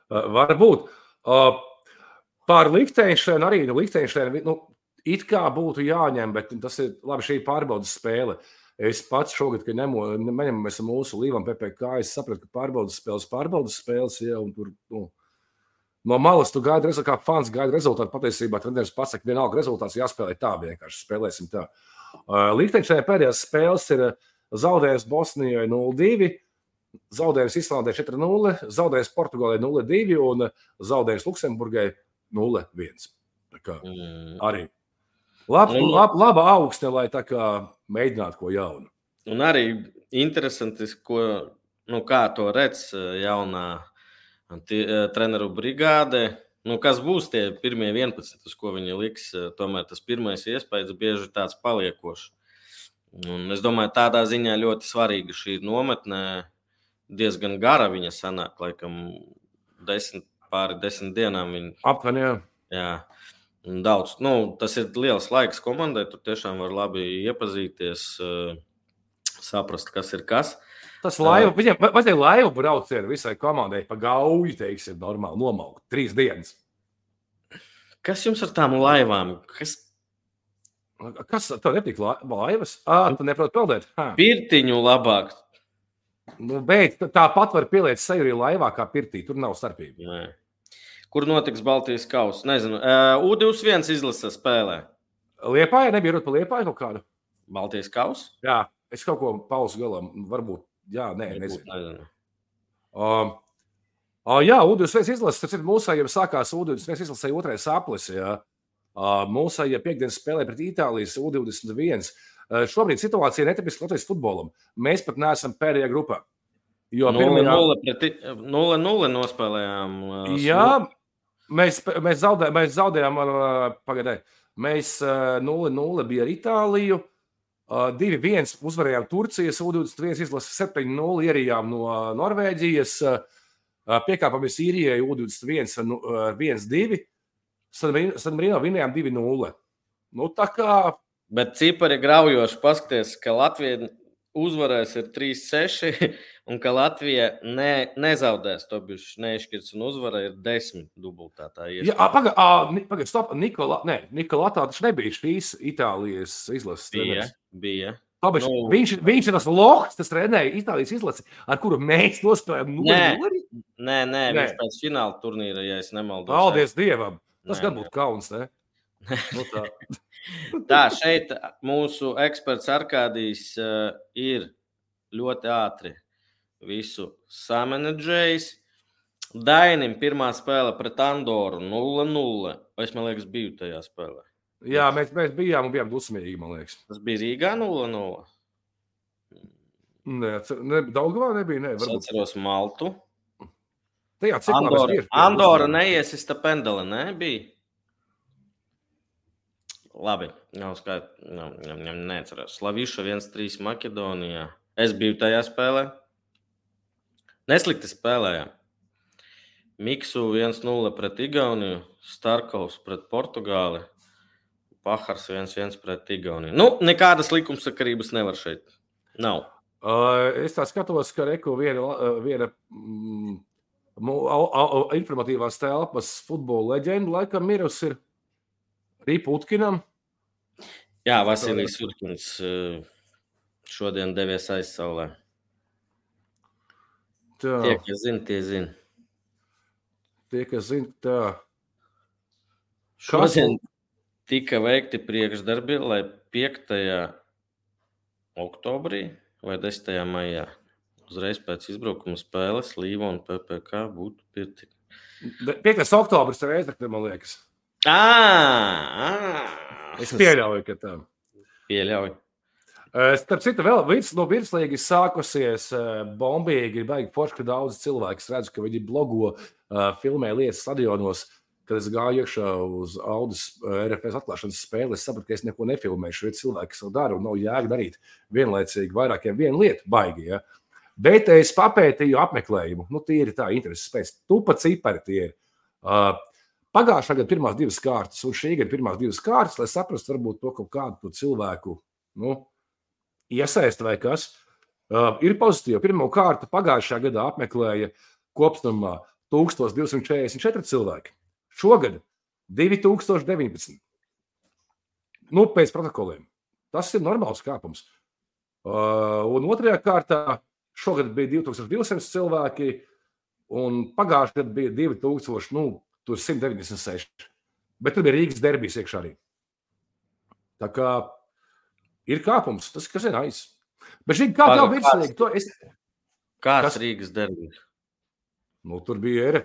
Varbūt. Pār Lichtensteinu arī, Lichtensteinu, it kā būtu jāņem, bet tas ir labi, šī pārbaudas spēle. Es pats šogad, kad neņemamies mūsu līvam PPK, es sapratu, ka pārbaudas spēles, ja, un tur, no malas tu gaidi rezultātu, kā fans gaida rezultātu, patiesībā treneris pasaka, vienalga rezultāts jāspēlē tā, vienkārši spēlēsim tā. Lichtensteina pēdējās spēles ir zaudējums Bosnijai 0-2, zaudējums Islandē 4-0, zaudējums Portugālē 0-2 un zaudējums Luksemburgai 0-1. Tā kā arī laba augsne, lai tā kā mēģinātu ko jaunu. Un arī interesanti, kā to redz jaunā treneru brigāde. Kas būs tie pirmie 11, uz ko viņi liks, tomēr tas pirmais iespējas bieži tāds paliekošs. Un es domāju, tādā ziņā ļoti svarīga šī nometne, diezgan gara viņa sanāk, laikam pāri 10 dienām. Aptuveni, jā. Jā, daudz. Tas ir liels laiks komandai, tur tiešām var labi iepazīties, saprast, kas ir kas. Tas laiva, viņam vajadzēja laivu braucienu visai komandai pa Gauju, teiksim, normāli nomaukt. 3 dienas. Kas jums ar tām laivām? Kas tev nepatīk laivas? Tu neproti peldēt? Pirtiņu labāk. Nu, bet tāpat var pieliet seju arī laivā kā pirtī. Tur nav starpība. Nē. Kur notiks Baltijas kausa? Nezinu. U21 izlasa spēlē. Liepāja? Nebija runa par Liepāju kaut kādu? Baltijas kausa? Jā, es kaut ko pauzu galam. Varbūt. Jā, nezinu. Jā, U21 izlasa. Tas ir mūsējiem sākās U21 izlasēja 2. aplis. Jā. Mūsējie piekdienas spēlē pret Itālijas U21. Šobrīd situācija netipiska Latvijas futbolam. Mēs pat neesam pēdējā grupā. 0-0 nospēlējām. Jā, mēs zaudējām pagaidē. Mēs 0-0 bija ar Itāliju. 2-1 uzvarējām Turcijas U21 izlasi, 7-0 ierijām no Norvēģijas. Piekāpamies Īrijai U21 ar 1-2. San Marino vinējām 2-0. Nu, tā kā... Bet cipari graujoši paskaties, ka Latvija uzvarēs ir 3-6 un ka Latvija nezaudēs. To bišķi neizšķirts un uzvara ir 10 dubultā. Pagaid, stop. Nikola taču nebija šīs Itālijas izlases treneris. Bija. Viņš ir tas lohs, tas trenēja Itālijas izlasi, ar kuru mēs nospēlējām 0-0. Nē, viņš pēc fināla turnīra, ja es nemaldos. Paldies Dievam! Tas gan būtu kauns, ne? Nu, tā, šeit mūsu eksperts Arkādijs ir ļoti ātri visu samanedžējis. Dainim pirmā spēle pret Andoru 0-0. Es, man liekas, biju tajā spēlē. Jā, mēs bijām un bijām dusmīgi, man liekas. Tas bija Rīgā 0-0? Nē, Daugavā nebija, Es atceros Maltu. Tajā Andora neiesista pendele, ne? Bija? Labi, neatceros. Slaviša 1-3 Makedonijā. Es biju tajā spēlē. Neslikti spēlējām. Miksu 1-0 pret Igauniju, Starkovs pret Portugāli, Pahars 1-1 pret Igauniju. Nu, nekādas likumsakarības nevar šeit. Nav. Es tā skatos, ka Reku viena informatīvās telpas futbola leģenda laikam mirus ir Rīputkinam. Jā, Vasilijs Utkins šodien devies aizsaulē. Tie, kas zina, tie zina. Tie, kas zina, tā. Šodien tika veikti priekšdarbi, lai 5. oktobrī vai 10. maijā uzreiz pēc izbraukuma spēles Līva un PPK būtu pirti. 5. oktobris ir Reizekne, man liekas. Es pieļauju, ka tā. Pieļauju. Starp citu, vēl no virslīgas sākusies bombīgi, ir baigi forši, ka daudz cilvēku redzu, ka viņi blogo, filmē lietas stadionos, kad es gāju iekšā uz Audis RFS atklāšanas spēli, es sapratu, ka es neko nefilmēšu, jo cilvēki savu daru un nav jēga darīt vienlaicīgi vairākiem vienu lietu baigi, ja. Bet es papētīju apmeklējumu, nu tīri tā intereses pēc, tupa cipari tie ir. Pagājušā gada pirmās 2 kārtas un šī gada pirmās 2 kārtas, lai saprastu varbūt to kaut kādu cilvēku, iesaist vai kas, ir pozitīvi. Pirmo kārtu pagājušā gadā apmeklēja kopstumā 1244 cilvēki. Šogad 2019. Pēc protokoliem. Tas ir normāls kāpums. Un otrajā kārtā šogad bija 2200 cilvēki, un pagājušajā gadā bija 2196. Bet tur bija Rīgas derbijs iekšā arī. Tā kā ir kāpums, tas, kas ir aiz. Bet šī kā tev virslīgi? Kāds Rīgas derbijs? Tur bija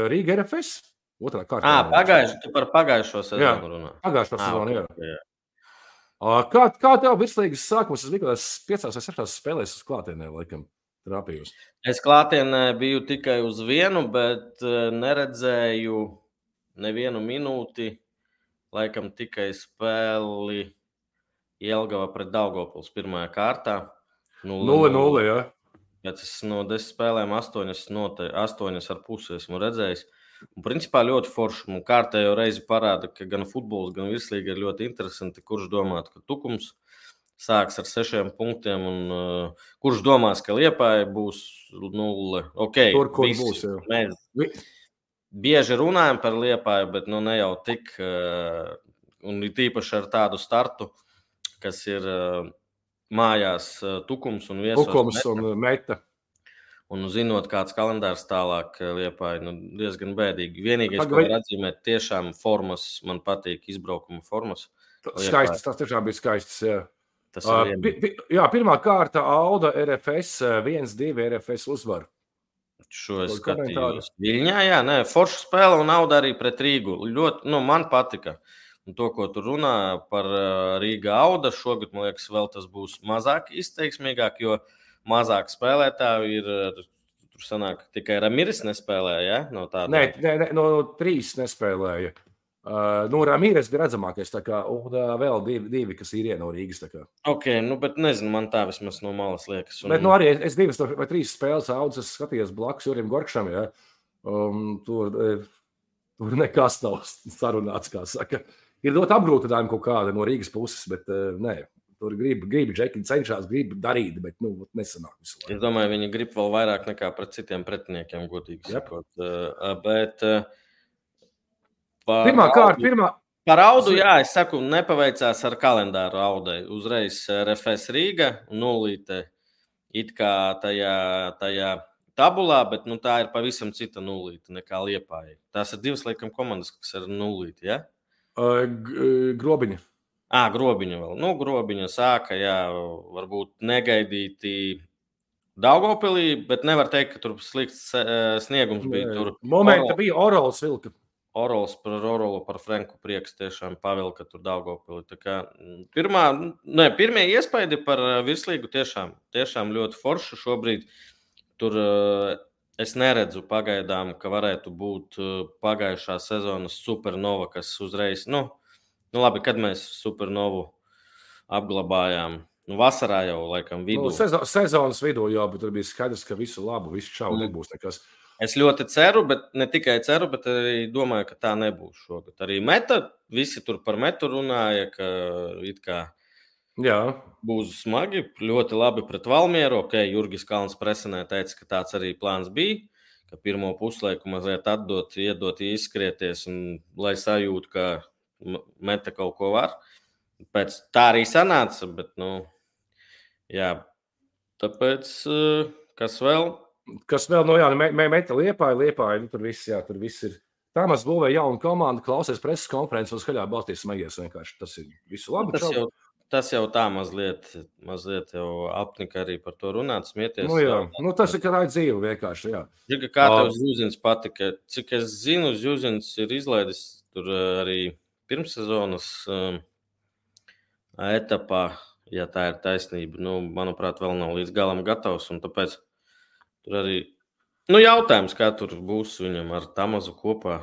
Rīga RFS. Otrā kārtā. Par pagājušo sezonu runā. Pagājušo sezonu, jā. Kā tev virslīgas sākums? Es biju kādās 5 vai 6 spēlēs uz klātienē, laikam, trāpījos. Es klātienē biju tikai uz vienu, bet neredzēju nevienu minūti. Laikam tikai spēli Jelgava pret Daugavpils pirmajā kārtā. 0-0, jā. Pēc no 10 spēlēm 8,5 esmu redzējis. Un principā ļoti forši. Un kārtējo reizi parāda, ka gan futbols, gan virslīga ir ļoti interesanti. Kurš domātu, ka Tukums sāks ar 6 punktiem, un kurš domās, ka Liepāja būs 0. Okay, Tur, kur visi, būs, jā. mēs bieži runājam par Liepāju, bet ne jau tik, un ir tīpaši ar tādu startu, kas ir mājās Tukums un viesos Tukums un Meta. Un zinot, kāds kalendārs tālāk Liepāja, diezgan bēdīgi. Vienīgais, ko var atzīmēt, tiešām formas, man patīk izbraukuma formas. Skaistas, tas tiešām bija skaistas, jā. Tas ir pirmā kārta Auda RFS 1-2 RFS uzvaru. Šo es skatījos. Viļņā, jā, forša spēle un Auda arī pret Rīgu. Ļoti, man patika. Un to, ko tu runā par Rīga Auda, šogad, man liekas, vēl tas būs mazāk izteiksmīgāk, jo mazāk spēlētāju ir, tur sanāk, tikai Ramiris nespēlēja, ja? No tāda. Nē, no 3 nespēlēja. Ramiris bija redzamākais, tā kā, un vēl divi, kas ir no Rīgas, tā kā. Ok, bet nezinu, man tā vismaz no malas liekas. Bet, arī es 2 vai 3 spēles Audas, es skatījos blakus Jurim Gorkšam, ja? Tur nekas nav sarunāts, kā saka. Ir ļoti apgrūtinājumi kaut kāda no Rīgas puses, bet nē. Tur grib Džeki cenšas, grib darīt, bet nesanāk visu laiku. Es domāju, viņi grib vēl vairāk nekā pret citiem pretiniekiem, godīgi sakot. Bet par Audu, jā, es saku, nepaveicās ar kalendāru Audai. Uzreiz RFS Rīga, 0 it kā tajā tabulā, bet tā ir pavisam cita 0 nekā Liepāja. Tās ir 2 laikam komandas, kas ir 0, ja? Grobiņa. Grobiņa vēl. Grobiņa sāka, jā, varbūt negaidīti Daugavpilī, bet nevar teikt, ka tur slikts sniegums bija. Tur momenta bija Orols vilka. Orols par Franku prieks tiešām pavilka tur Daugavpilī. Tā kā pirmie iespaidi par virslīgu tiešām ļoti forši šobrīd. Tur es neredzu pagaidām, ka varētu būt pagājušā sezonas Supernova, kas uzreiz, labi, kad mēs Supernovu apglabājām. Vasarā jau, laikam, vidū. Sezonas vidū jau, bet tur bija skaidrs, ka visu labu, visu šaubu nebūs nekas. Es ļoti ceru, bet ne tikai ceru, bet arī domāju, ka tā nebūs šogad. Arī Meta, visi tur par Metu runāja, ka it kā būs smagi, ļoti labi pret Valmieru. Ok, Jurgis Kalns presenē teica, ka tāds arī plāns bija, ka pirmo puslaiku mazliet iedot izskrieties un lai sajūtu, ka Meta kaut ko var. Pēc tā arī sanāca, bet, jā. Tāpēc, kas vēl? Meta Liepāja, tur viss ir. Tāmas būvēja jaunu komandu, klausies preses konferences un skaļā balstīs smagies vienkārši. Tas ir visu labi. Tas jau tā mazliet jau apnika arī par to runāt, smieties. Tas ir, ka raid dzīve vienkārši, jā. Kā tev Zjuzins patika? Cik es zinu, Zjuzins ir izlaidis tur arī pirmssezonas etapā, ja tā ir taisnība. Manuprāt, vēl nav līdz galam gatavs, un tāpēc tur arī jautājums, kā tur būs viņam ar Tamazu kopā.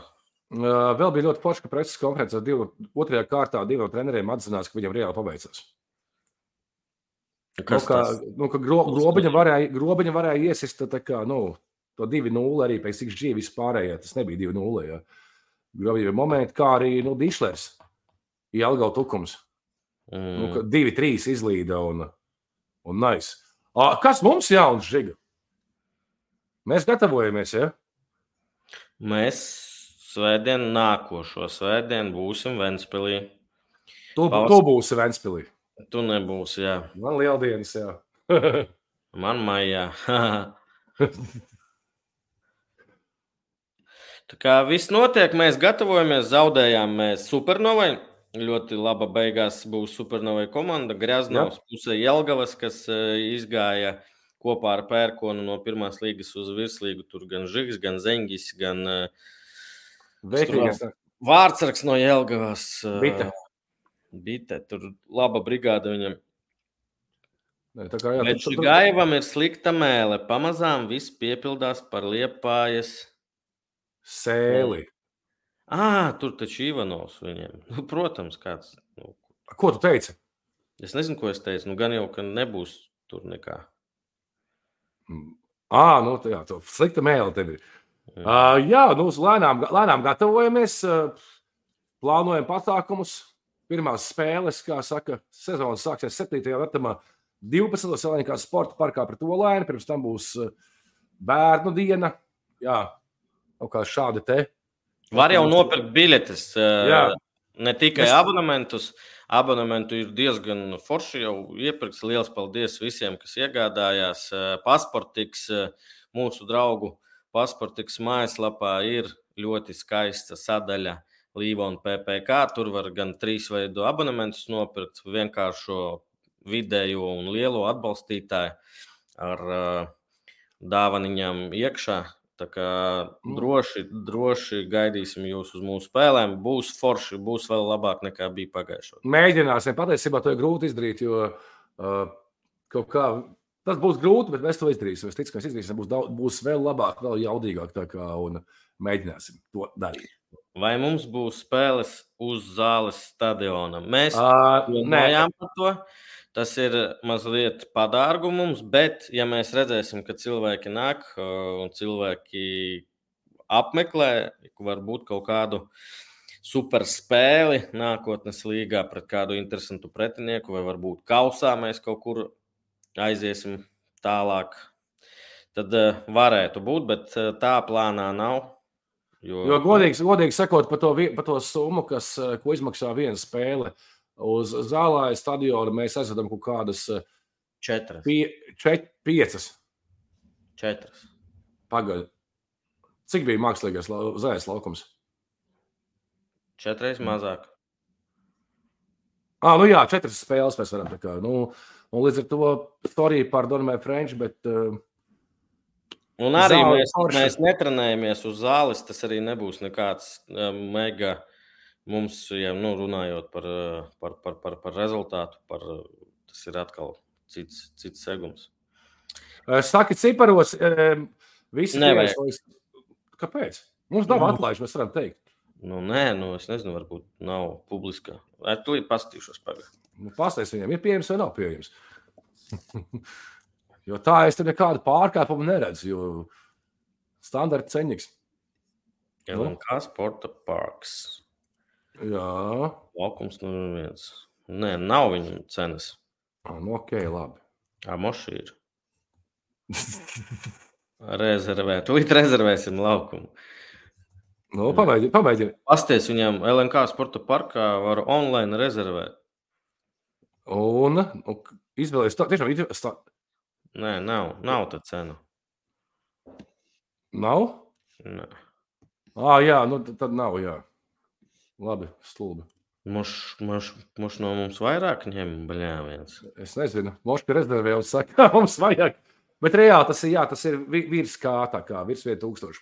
Vēl bija ļoti forši, ka preses konferencē 2. kārtā 2 treneriem atzinās, ka viņam reāli paveicās. Grobiņa varēja iesist tā kā, to 2-0 arī pēc XG vispārējā, tas nebija 2-0, jā. Grobiņa momenti, kā arī, Dišlers, Jelgava Tukums. 2-3 izlīda un nice. Kas mums jauns, Žiga? Mēs gatavojamies, ja? Mēs nākošo svētdienu būsim Ventspilī. Tu būsi Ventspilī. Tu nebūsi, jā. Man lieldienas, jā. Man maijā. Tā kā viss notiek, mēs gatavojamies, zaudējām mēs Supernovai. Ļoti laba beigās būs Supernovai komanda. Greznovs pusē Jelgavas, kas izgāja kopā ar Pērkonu no pirmās līgas uz virslīgu. Tur gan Žigs, gan Zeņģis, gan Vārtsargs no Jelgavas. Bite. Tur laba brigāda viņam. Bet Gaivam ir slikta mēle. Pamazām viss piepildās par Liepājas sēli. Tur taču Ivanovs viņiem. Protams, kāds. Ko tu teici? Es nezinu, ko es teicu. Gan jau, ka nebūs tur nekā. Tā slikta mēle tev ir. Lēnām gatavojamies, plānojam pasākumus. pirmās spēles, kā saka, sezonas sāksies 7. datumā 12. Salinikā sporta parkā pret Olaini, pirms tam būs bērnu diena. Jā, kaut kā šādi te. Var jau nopirkt biļetes, Jā. ne tikai abonementus. Abonementu ir diezgan forši jau iepirks. Liels paldies visiem, kas iegādājās. Pasportiks, mūsu draugu Pasportiks mājaslapā ir ļoti skaista sadaļa Līvona PPK. Tur var gan 3 veidu abonementus nopirkt, vienkāršo vidējo un lielo atbalstītāju ar dāvaniņām iekšā. Tā kā droši gaidīsim jūs uz mūsu spēlēm. Būs forši, būs vēl labāk nekā bija pagājušajā. Mēģināsim. Patiesībā to ir grūti izdarīt, jo kaut kā tas būs grūti, bet mēs to izdarīsim. Es ticu, ka mēs izdarīsim, būs vēl labāk, vēl jaudīgāk tā kā un mēģināsim to darīt. Vai mums būs spēles uz zāles stadiona? Mēs runājām par to. Tas ir mazliet padārgu mums, bet ja mēs redzēsim, ka cilvēki nāk un cilvēki apmeklē, varbūt kaut kādu super spēli nākotnes līgā pret kādu interesantu pretinieku, vai varbūt kausā mēs kaut kur aiziesim tālāk, tad varētu būt, bet tā plānā nav. Jo godīgi sakot par to summu, ko izmaksā viena spēle, uz Zālāja stadiona mēs aizvedam kaut kādas 4. 5. 4. Pagaid. Cik bija mākslīgais Zāles laukums? 4 reizes mazāk. Nu jā, 4 spēles mēs varam tā kā. Un līdz ar to sorry par Donmē French, bet... Un arī mēs netrenējamies uz zāles, tas arī nebūs nekāds mega... Mums, ja runājot par rezultātu, tas ir atkal cits segums. Saki ciparos, visi nevajag. Kāpēc? Mums nav atlaiž, mēs varam teikt. Nē, es nezinu, varbūt nav publiskā. Tūlīt pastīšos pagad. Pastāst viņam, ir pieejams vai nav pieejams. Jo tā es te nekādu pārkāpumu neredzu, jo standarta ceņiks. LNK Sporta parks. Jā. Laukums numur 1. Nē, nav viņam cenas. Ok, labi. Moši ir. Tūlīt rezervēsim laukumu. Pamēģini. Pasties viņam LNK Sporta parkā var online rezervēt. Un izvēlēs tiešām... Nē, nav tā cena. Nav? Nē. Jā, tad nav, jā. Labi, stulbi. Moš no mums vairāk ņem, viens. Es nezinu. Moš pie rezervē jau saka, mums vajag. Bet reāli tas ir virs kā, tā kā, virs 1000.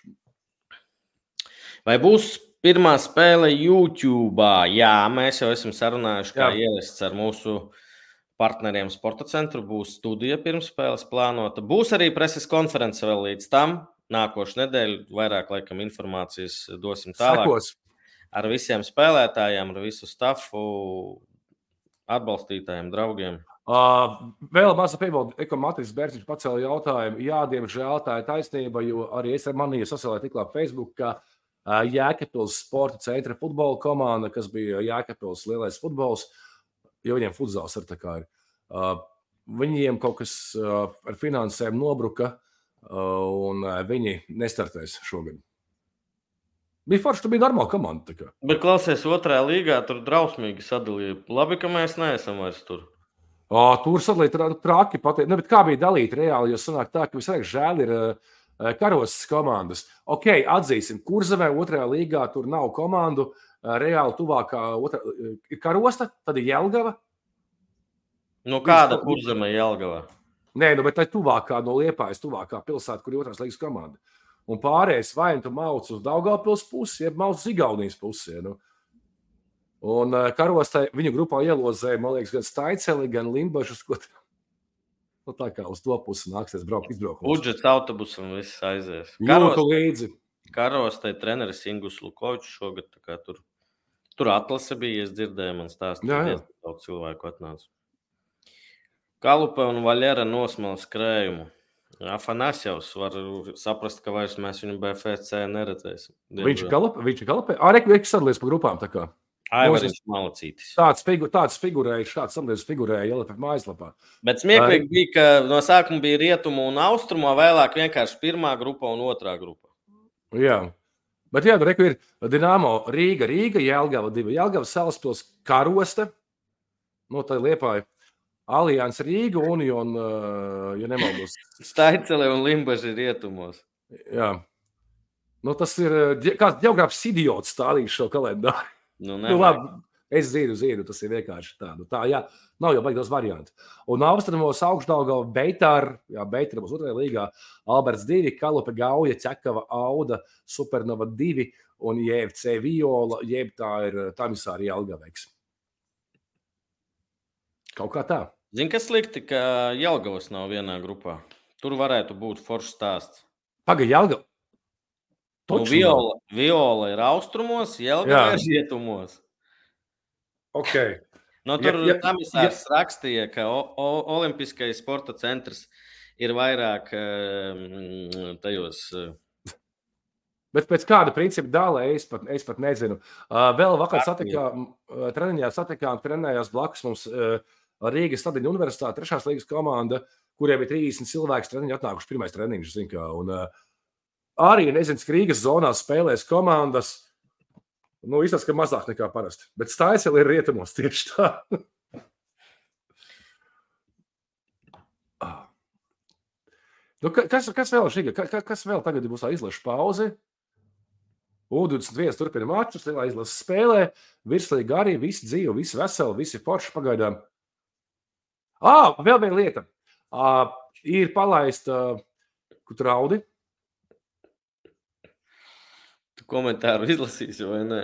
Vai būs pirmā spēle YouTube'ā? Jā, mēs jau esam sarunājuši, kā ielists ar mūsu partneriem Sporta centru. Būs studija pirms spēles plānota. Būs arī preses konference vēl līdz tam. Nākošu nedēļu vairāk, laikam, informācijas dosim tālāk. Sekos. Ar visiem spēlētājiem, ar visu stafu, atbalstītājiem, draugiem. Vēl maza piebilde, Matris Bērziņš pacēla jautājumu. Jā, diemžēl tā ir taisnība, jo arī es ar manī sasielēju tiklā Facebook, ka Jēkabpils Sporta centra futbola komanda, kas bija Jēkabpils lielais futbols, jo viņiem futzāls ar tā kā ir. Viņiem kaut kas ar finansēm nobruka, un viņi nestartēs šogad. Bija forši, tu bija normāla komanda. Bet klausies, 2. līgā tur drausmīgi sadalīja. Labi, ka mēs neesam vairs tur. Tur sadalīja traki pateikt. Bet kā bija dalīta reāli, jo sanāk tā, ka visvairāk žēl ir karosas komandas. Ok, atzīsim, Kurzemē 2. līgā tur nav komandu. Reāli tuvākā ir Karosta, tad ir Jelgava. Kāda Kurzemē Jelgava? Nē, bet tā ir tuvākā no Liepājas, tuvākā pilsēta, kur ir 2. līgas komanda. Un pārējais vai tu mauc uz Daugavpils pusi, jeb mauc uz Igaunijas pusi. Un Karostai viņu grupā ielozēja, man liekas, gan Staiceli, gan Limbažus, ko tā kā uz to pusi nāksies braukt izbraukumos. Budžets autobusam viss aizies. Jūtu līdzi. Karostai treneris Ingus Lukovičs šogad, tā kā tur atlase bija, es dzirdēju, man stāstīja, daudz cilvēku atnāca. Kalupe un Vaļera nosmēl skrējumu. Afanasjevs var saprast, ka vairs mēs viņu BFC neredzēsim. Viņš ir Kalupē? Reku sadalies pa grupām tā kā. Aivariņš malacītis. Tāds figurēja, šāds samlies figurēja LFF mājaslapā. Bet smieklīgi bija, ka no sākuma bija rietumu un austrumu, vēlāk vienkārši pirmā grupa un otrā grupa. Jā. Bet jā, reku ir Dinamo Rīga, Jelgava 2, Jelgava Salaspils, Karosta, no tā Liepāja, Alians Rīga, Union, ja nemaldos. Staicele un Limbaži rietumos. Jā. Nu, tas ir kāds ģeogrāfs idiots stādījis šo kalendāru. Nu, labi, es zinu, tas ir vienkārši tā. Nu, tā, jā, nav jau baigtos varianti. Un Austrumos Augšdaugava, Beitāra, Beitāra būs otrajā līgā, Alberts 2, Kalupe Gauja, Ķekava, Auda, Supernova 2 un JFC Viola, jeb tā ir Tamisāri Jelgaveiks. Kaut kā tā. Zini, kas slikti, ka Jelgavas nav vienā grupā. Tur varētu būt foršs stāsts. Paga, Jelgava. Nu, Viola ir austrumos, Jelgava ir rietumos. Okay. No, tur Tamisārs rakstīja, ka Olimpiskais sporta centrs ir vairāk tajos. Bet pēc kāda principa dālē es pat nezinu. Vēl vakar trenējās blakus mums Rīgas Stadiņa universitāte, 3. līgas komanda, kuriem ir 30 cilvēki treniņi atnākuši pirmais treniņš, zin kā. Un arī, nezinu, Rīgas zonā spēlēs komandas, nu, izsaka, ka mazāk nekā parasti. Bet Staicele ir rietumos tieši tā. Nu, kas vēl šī? Kas vēl tagad būs izlaša pauze? U21 turpina mačus, lielā izlases spēlē, virslīgi arī, visi dzīvi, visi veseli, visi forši pagaidām. Vēl viena lieta. Ir palaista Kutraudi. Tu komentāru izlasīsi, vai ne?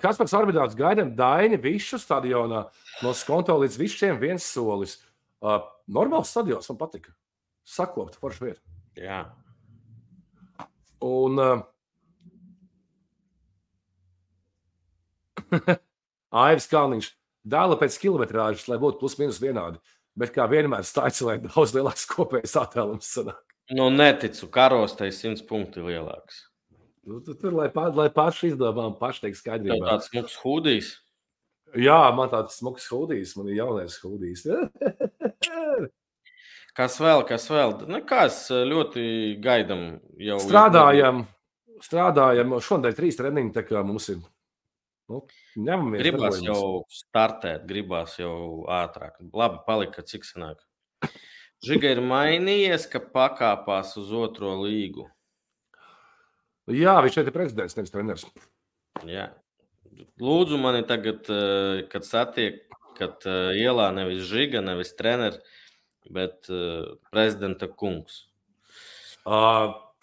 Kaspars Orbidāts gaidām Daini Višu stadionā no Skonto līdz Višķiem 1 solis. Normāls stadions, man patika. Sakopta, forša vieta. Jā. Un Aivis Kalniņš dēla pēc kilometrāžas, lai būtu plus minus vienādi. Bet kā vienmēr Staicelē daudz lielāks kopējais attēlums sanāk. Nu, neticu, Karostai 100 punkti lielāks. Nu, tur, lai paši izdomām, paši teiks skaidrībā. Tev tāds smuks hūdijs? Jā, man tāds smuks hūdijs, man ir jaunais hūdijs. Kas vēl? Nekās ļoti gaidam jau. Strādājam. Šodien 3 treniņi, tā kā mums ir. Nu, ņemamies. Gribās jau startēt, gribās jau ātrāk. Labi, palika, cik sanāk. Žiga ir mainījies, ka pakāpās uz 2. līgu. Jā, viņš šeit ir prezidents, nevis treneris. Jā. Lūdzu mani tagad, kad satiek, kad ielā nevis Žiga, nevis treneri, bet prezidenta kungs.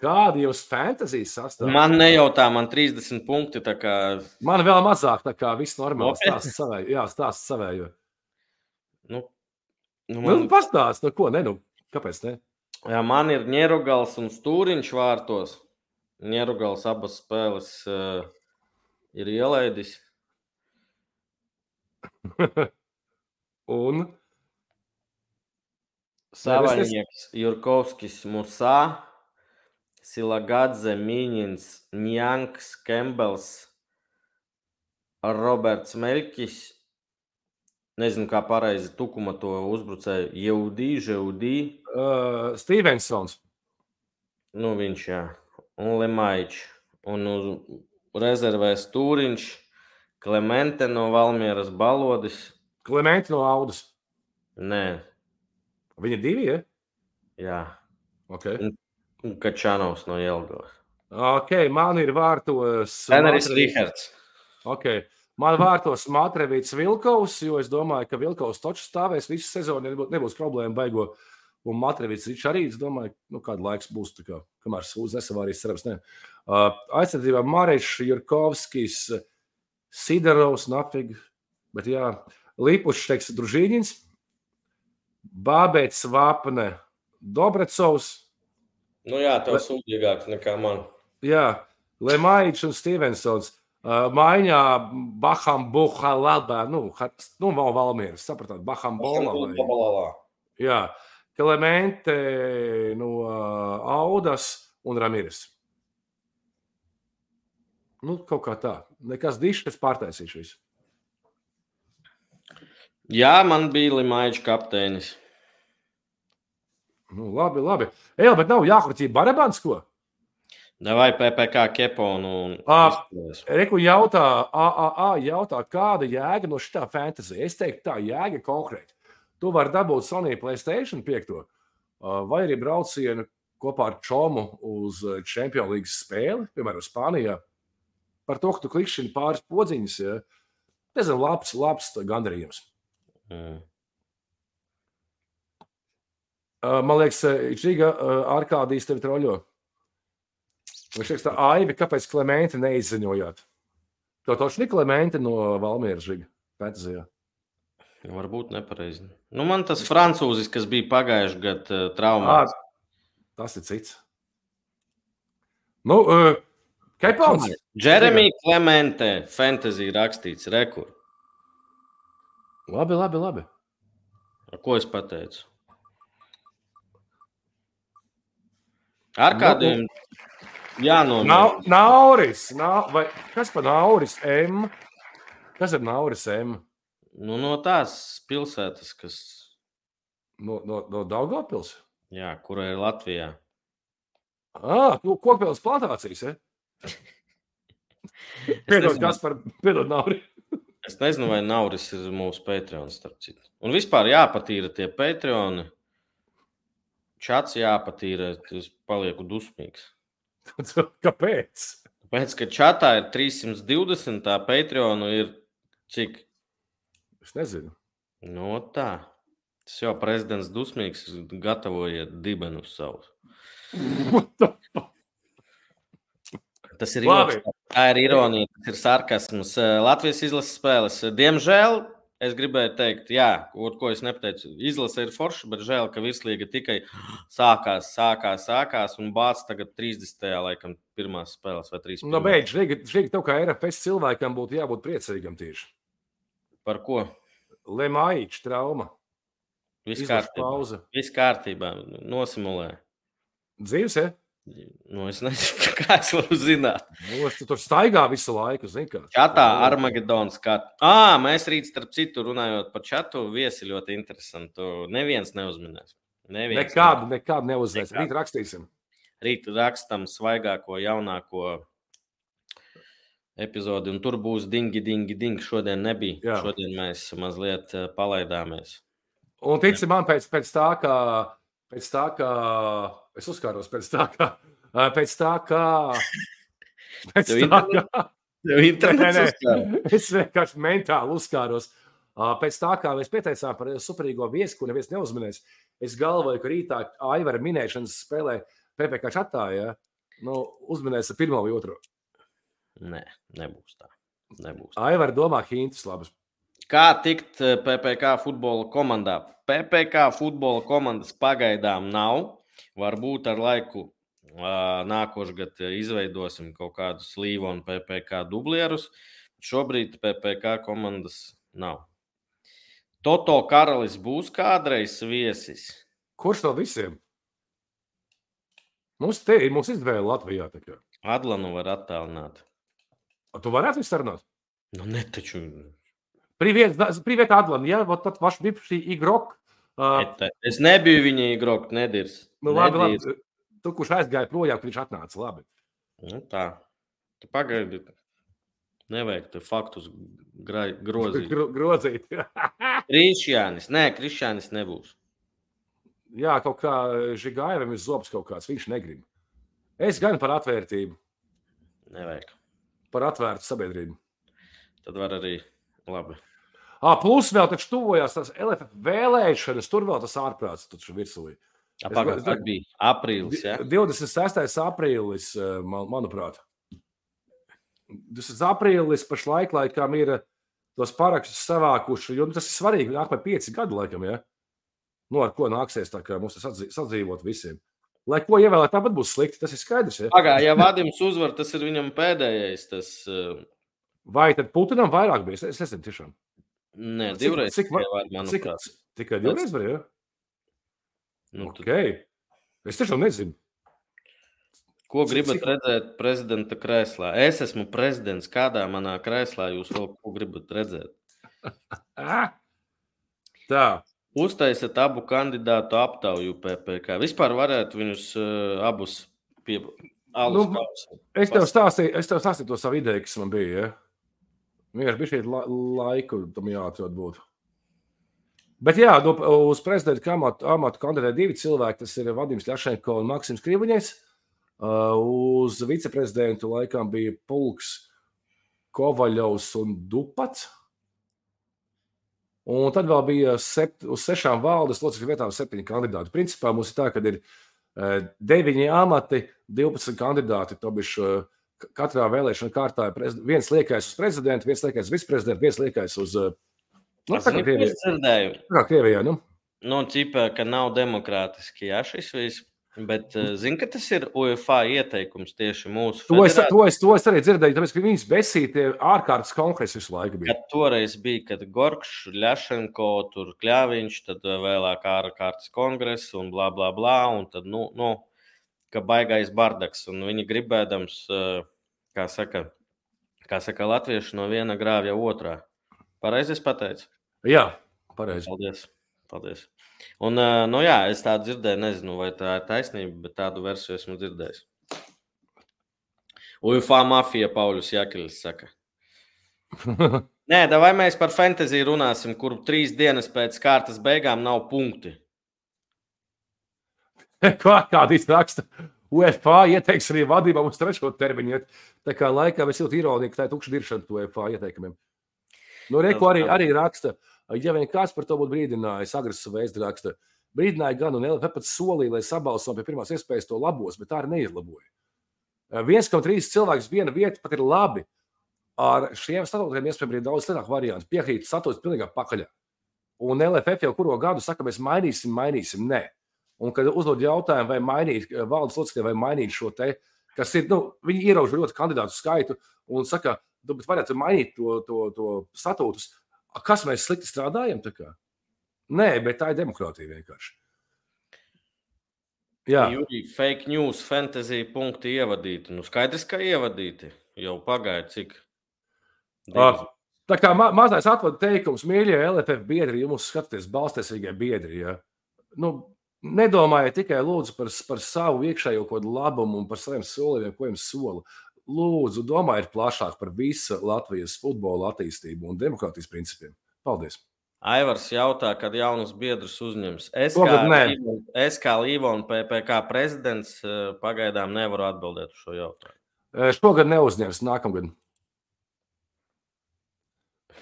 Kādi jūs fantasijas sastāv? Man nejautā, man 30 punkti, tā kā... Man vēl mazāk, tā kā viss normāli stāsts savēju. Jā, stāsts savēju. Nu, pastāst, ko, kāpēc ne? Jā, man ir Ņerugals un Stūriņš vārtos. Ņerugals abas spēles ir ielaidis. Un? Savaļnieks, Jurkovskis, Musā, Silagadze, Miņins, Njanks, Kembels, Roberts Meļkis, nezinu, kā pareizi Tukuma to uzbrucēju, Jeudī. Stevensons. Nu, viņš, jā. Un Lemaičs. Un rezervē Stūriņš, Klemente no Valmieras, Balodis. Klemente no Audas? Nē. Viņa 2, ja? Jā. Okay. Un Kačanovs no Jelgavas. Ok, man ir vārtos... Treneris Rihards. Ok, man vārtos Matrevīts Vilkovs, jo es domāju, ka Vilkovs toču stāvēs visu sezonu, nebūs problēma baigo. Un Matrevīts arī, es domāju, kādu laiks būs, tā kā, kamēr Sūdz nesavārīs, cerams, ne. Aizsardzībā Marešs, Jurkovskis, Sidarovs, Nafig, bet jā, Lipušs, teiks, Družīņins, Bābēts, Vāpne, Dobrecovs. Nu jā, tev sūdīgāks nekā man. Jā, Lemaičs un Stevensons. Maiņā Baham Buhalabā, Valmieras, sapratāt, Baham Buhalabā. Jā. Klemente no Audas un Ramires. Nu, kaut kā tā. Nekas dišs, kas pārtaisīšu visu. Jā, man bija Limaiča kapteinis. Nu, labi. Jā, bet nav jākurķība Barabans, ko? Vai PPK Keponu un Reku jautā, kāda jēga no šitā fantasy? Es teiktu tā, jēga konkrēti. Tu vari dabūt Sony PlayStation 5, vai arī braucienu kopā ar Čomu uz Champions League spēli, piemēram, Spānijā. Par to, ka tu klikšķini pāris podziņas, ja? Nezinu, labs gandarījums. Man liekas, Žiga Arkādijas tevi troļo. Viņš teiks tā, Aivi, kāpēc Klementi neizziņojāt? To točni Klementi no Valmieras Žiga Pētazijā. Varbūt nepareizi. Nu, man tas francūzis, kas bija pagājuši gadu traumās. Tas ir cits. Nu, Kaipauns? Jeremy Clemente, fantasy rakstīts, rekur. Labi. Ko es pateicu? Ar kādiem jānomēr? Nauris. Vai kas pa Nauris M? Kas ir Nauris M? Nu, no tās pilsētas, kas... No Daugavpils? Jā, kura ir Latvijā. Kokpils plantācijas, ja? Piedod Nauri. Es nezinu, vai Nauris ir mūsu Patreons, starp citu. Un vispār jāpatīra tie Patreoni. Čats jāpatīra, es palieku dusmīgs. Kāpēc? Tāpēc, ka čatā ir 320, tā Patreonu ir cik? Es nezinu. No tā. Tas jau prezidents dusmīgs, gatavojiet dibenus savus. Tas ir joks. Tā ir ironija, tas ir sarkasms. Latvijas izlases spēles. Diemžēl, es gribēju teikt, jā, ko es nepateicu, izlase ir forša, bet žēl, ka virslīga tikai sākās un bāc tagad 30. laikam pirmās spēles vai 3. No beidz, Žīgi, tev kā RFS cilvēkam būtu jābūt priecīgam tieši. Par ko? Lemaiča trauma. Viss kārtībā. Nosimulē. Dzīves, ja? Nu, es nezinu, kā es varu zināt. Tu tur staigā visu laiku, zini kā. Čatā Armagedons skat. Mēs rīt starp citu runājot par čatu, viesi ļoti interesantu. Neviens neuzminēs. Nekādu neuzminēs. Rīt rakstīsim. Rīt rakstam svaigāko, jaunāko epizodi, un tur būs dingi. Šodien nebija. Jā. Šodien mēs mazliet palaidāmies. Un tici man pēc tā, ka es uzkāros pēc tā, ka Tev internets uzkāros. Es vienkārši mentāli uzkāros. Pēc tā, kā mēs pieteicām par superīgo viesi, ko neviens neuzminēs, es galvoju, ka rītā Aivara minēšanas spēlē PPK čatā, ja? Uzminēs ar 1. vai 2. Nē, nebūs tā. Aivara domā hintus labas. Kā tikt PPK futbola komandā? PPK futbola komandas pagaidām nav. Varbūt ar laiku nākošgad izveidosim kaut kādus Līva un PPK dublierus. Šobrīd PPK komandas nav. Toto Karalis būs kādreiz viesis? Kurš no visiem? Mums izvēle Latvijā. Adlanu var attālināt. Tu varētu sarunāt? Nu, ne taču... Привет, Адлан. Я вот тот ваш бывший игрок. Es nebiju viņa игрок, nedirs. Labi. Tu, kurš aizgāja projām, ka viņš atnāca, labi. Nu tā. Tu pagaidi. Nevajag te faktus grozīt. Grozīt. Krišjānis nebūs. Jā, kaut kā Žigājevim ir zobs kaut kāds, viņš negrib. Es gan par atvērtību. Nevajag. Par atvērtu sabiedrību. Tad var arī labi. Plus vēl taču tuvojās tās LFF vēlēšanas, tur vēl tas ārprāts taču virsū. Pagad bija aprīlis, ja? 26. aprīlis, manuprāt. 26. aprīlis pašlaik laikam ir tos parakstus savākuši, jo tas ir svarīgi, nāk par 5 gadu laikam, ja? Ar ko nāksies tā kā mums tas sadzīvot visiem. Lai ko ievēlēt, tāpat būs slikti, tas ir skaidrs, ja? Ja Vadims uzvar, tas ir viņam pēdējais, tas... Vai tad Putinam vairāk bija? Es nezinu tiešām. Nē, 2 reizes manuprāt. Tikai 2 reizes var, ja? Nu, Ok. Es tiešām nezinu. Ko gribat redzēt prezidenta krēslā? Es esmu prezidents. Kādā manā krēslā jūs vēl ko gribat redzēt? Tā. Uztaisiet abu kandidātu aptauju PPK. Vispār varētu viņus abus pie alus kausa. Es tev stāstīju to savu ideju, kas man bija. Ja? Vienkārši bija šeit laiku tam jāatrod būtu. Bet jā, uz prezidenta amatu kandidē 2 cilvēki. Tas ir Vadims Ļašenko un Maksims Krivuņais. Uz viceprezidentu laikam bija Pulks, Kovaļovs un Dupats. Un tad vēl bija uz 6 valdes locekļu vietām 7 kandidāti. Principā mums ir tā, ka ir 9 amati, 12 kandidāti. Katrā vēlēšana kārtā ir viens liekais uz prezidentu, viens liekais uz viceprezidentu, viens liekais uz... tā kā Krievijā, nu? Nu, cipē, ka nav demokrātiski, jā, šis viss. Bet zinu, ka tas ir UEFA ieteikums tieši mūsu federācijai. To es arī dzirdēju, tāpēc, ka viņas besītie ārkārtas kongresi visu laiku bija. Kad toreiz bija, kad Gorkšs, Ļašenko, tur Kļaviņš, tad vēlāk ārkārtas kongresi un blā, blā, blā, un tad, ka baigais bardaks, un viņi gribēdams, kā saka latvieši, no viena grāvja otrā. Pareizi es pateicu? Jā, pareizi. Paldies. Un, jā, es tādu dzirdēju, nezinu, vai tā ir taisnība, bet tādu versiju esmu dzirdējis. UEFA mafija Pauļus Jakeļs saka. Nē, vai mēs par fantasy runāsim, kur 3 dienas pēc kārtas beigām nav punkti? Kāda raksta? UEFA ieteiks arī vadībām uz 3. termiņu. Tā kā laikā es jūtu ironiju, ka tā ir tukša diršana to UEFA ieteikumiem. Nu, Reku arī raksta. Ja vien kāds par to būtu brīdinājis, agresīvu vēstu raksta, brīdināja gan un LFF pat solīja, lai sabalso pie pirmās iespējas to labos, bet tā arī neizlaboja. 1,3 cilvēks viena vieta pat ir labi. Ar šiem statūtiem iespējams ir daudz sliktāk variantu. Piekrīt statūts pilnīgā pakaļā. Un LFF jau kuro gadu saka, mēs mainīsim, nē. Un kad uzdod jautājumu, vai mainīt valdes locekļiem, vai mainīt šo te, kas ir, viņi ierauž ļoti kandidātu skaitu un saka, bet varētu mainīt to statūtus. Kas mēs slikti strādājam? Nē, bet tā ir demokrātija vienkārši. Jā. Jūri, fake news, fantasy punkti ievadīti. Skaidrs, ka ievadīti. Jau pagāja cik? Tā kā mazais atvada teikums, mīļie LFF biedri, ja mums skatāties balstīsīgie biedri, ja? Nedomājiet tikai lūdzu par savu iekšējo kaut labumu un par saviem solījumiem, ko jums sola. Lūdzu, domājiet plašāk par visu Latvijas futbola attīstību un demokrātijas principiem. Paldies! Aivars jautā, kad jaunus biedrus uzņems. Es kā Līva un PPK prezidents pagaidām nevaru atbildēt uz šo jautājumu. Šogad neuzņems, nākamgad.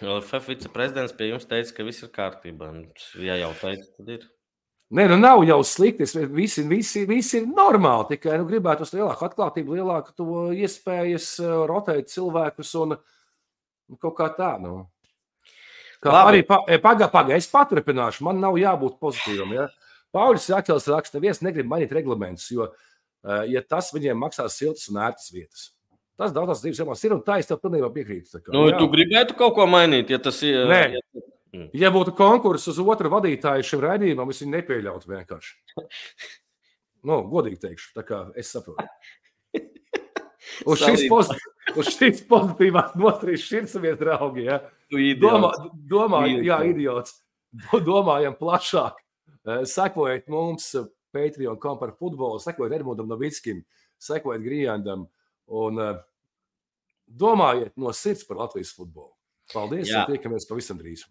LFF viceprezidents pie jums teica, ka viss ir kārtībā. Ja jau teica, tad ir. Nē, nav jau slikti. Visi ir normāli. Tikai gribētu uz lielāku atklātību, lielāku to iespējas rotēt cilvēkus un kaut kā tā. Arī es paturpināšu. Man nav jābūt pozitīvam. Ja? Pauļus Jakeļs raksta, neviens negrib mainīt reglamentus, jo ja tas viņiem maksās siltas un ērtas vietas. Tas daudzās dzīves jomās ir un tā es tev pilnībā piekrītu. Tu gribētu kaut ko mainīt, ja tas ir... Nē. Ja būtu konkurss uz otru vadītāju šim raidījumam, es viņu nepieļautu vienkārši. Godīgi teikšu, tā kā es saprotu. Uz šīs pozitīvās notrīs širsamies, draugi, ja? Idiots. Domājam plašāk. Sekojiet mums Patreon.com par futbolu, sekojiet Edmundam Novickim, sekojiet Grijandam un domājiet no sirds par Latvijas futbolu. Paldies, un tiekamies pavisam drīz.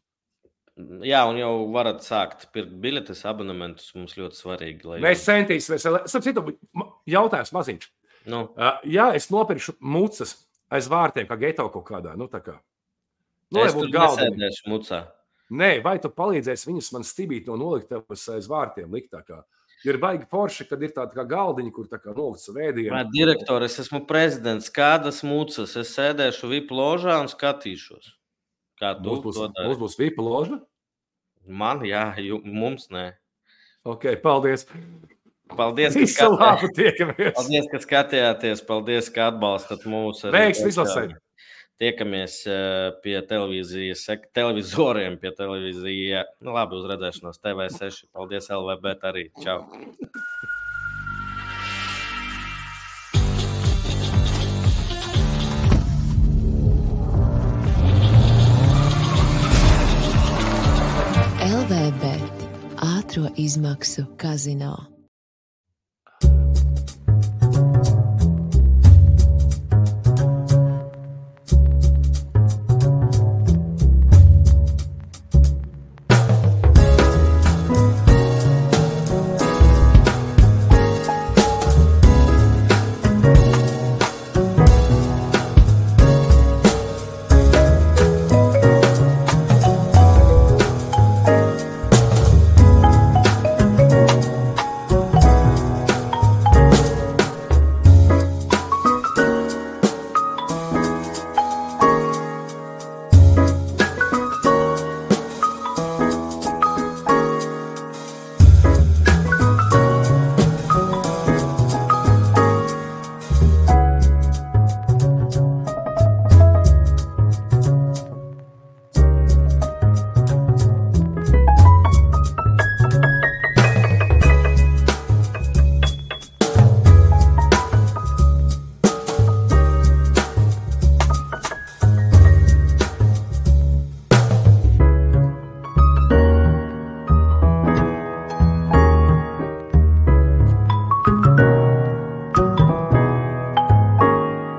Jā, un jau varat sākt pirkt biļetes, abonementus, mums ļoti svarīgi. Mēs centīsimies. Jautājums maziņš. Ja es nopirkšu mucas aiz vārtiem, kā geto kaut kādā, tā kā. Es tur nesēdēšu mucā. Nē, vai tu palīdzēsi viņus man stibīt no noliktavas aiz vārtiem likt tā kā? Jo ir baigi forši, kad ir tāda kā galdiņa, kur tā kā nolikts vēdienu. Direktor, es esmu prezidents. Kādas mucas? Es sēdēšu VIP ložā un skatīšos. Kā tu to dari? Mums būs VIP loža? Man, jā, mums nē. Ok, paldies. Paldies, ka skatījāties. Paldies, ka atbalstat mūs. Veiks vislasēļ. Tiekamies pie televizoriem, pie televīzija. Labi, uz redzēšanos TV6. Paldies, LVB arī. Čau. tiešo izmaksu kazino.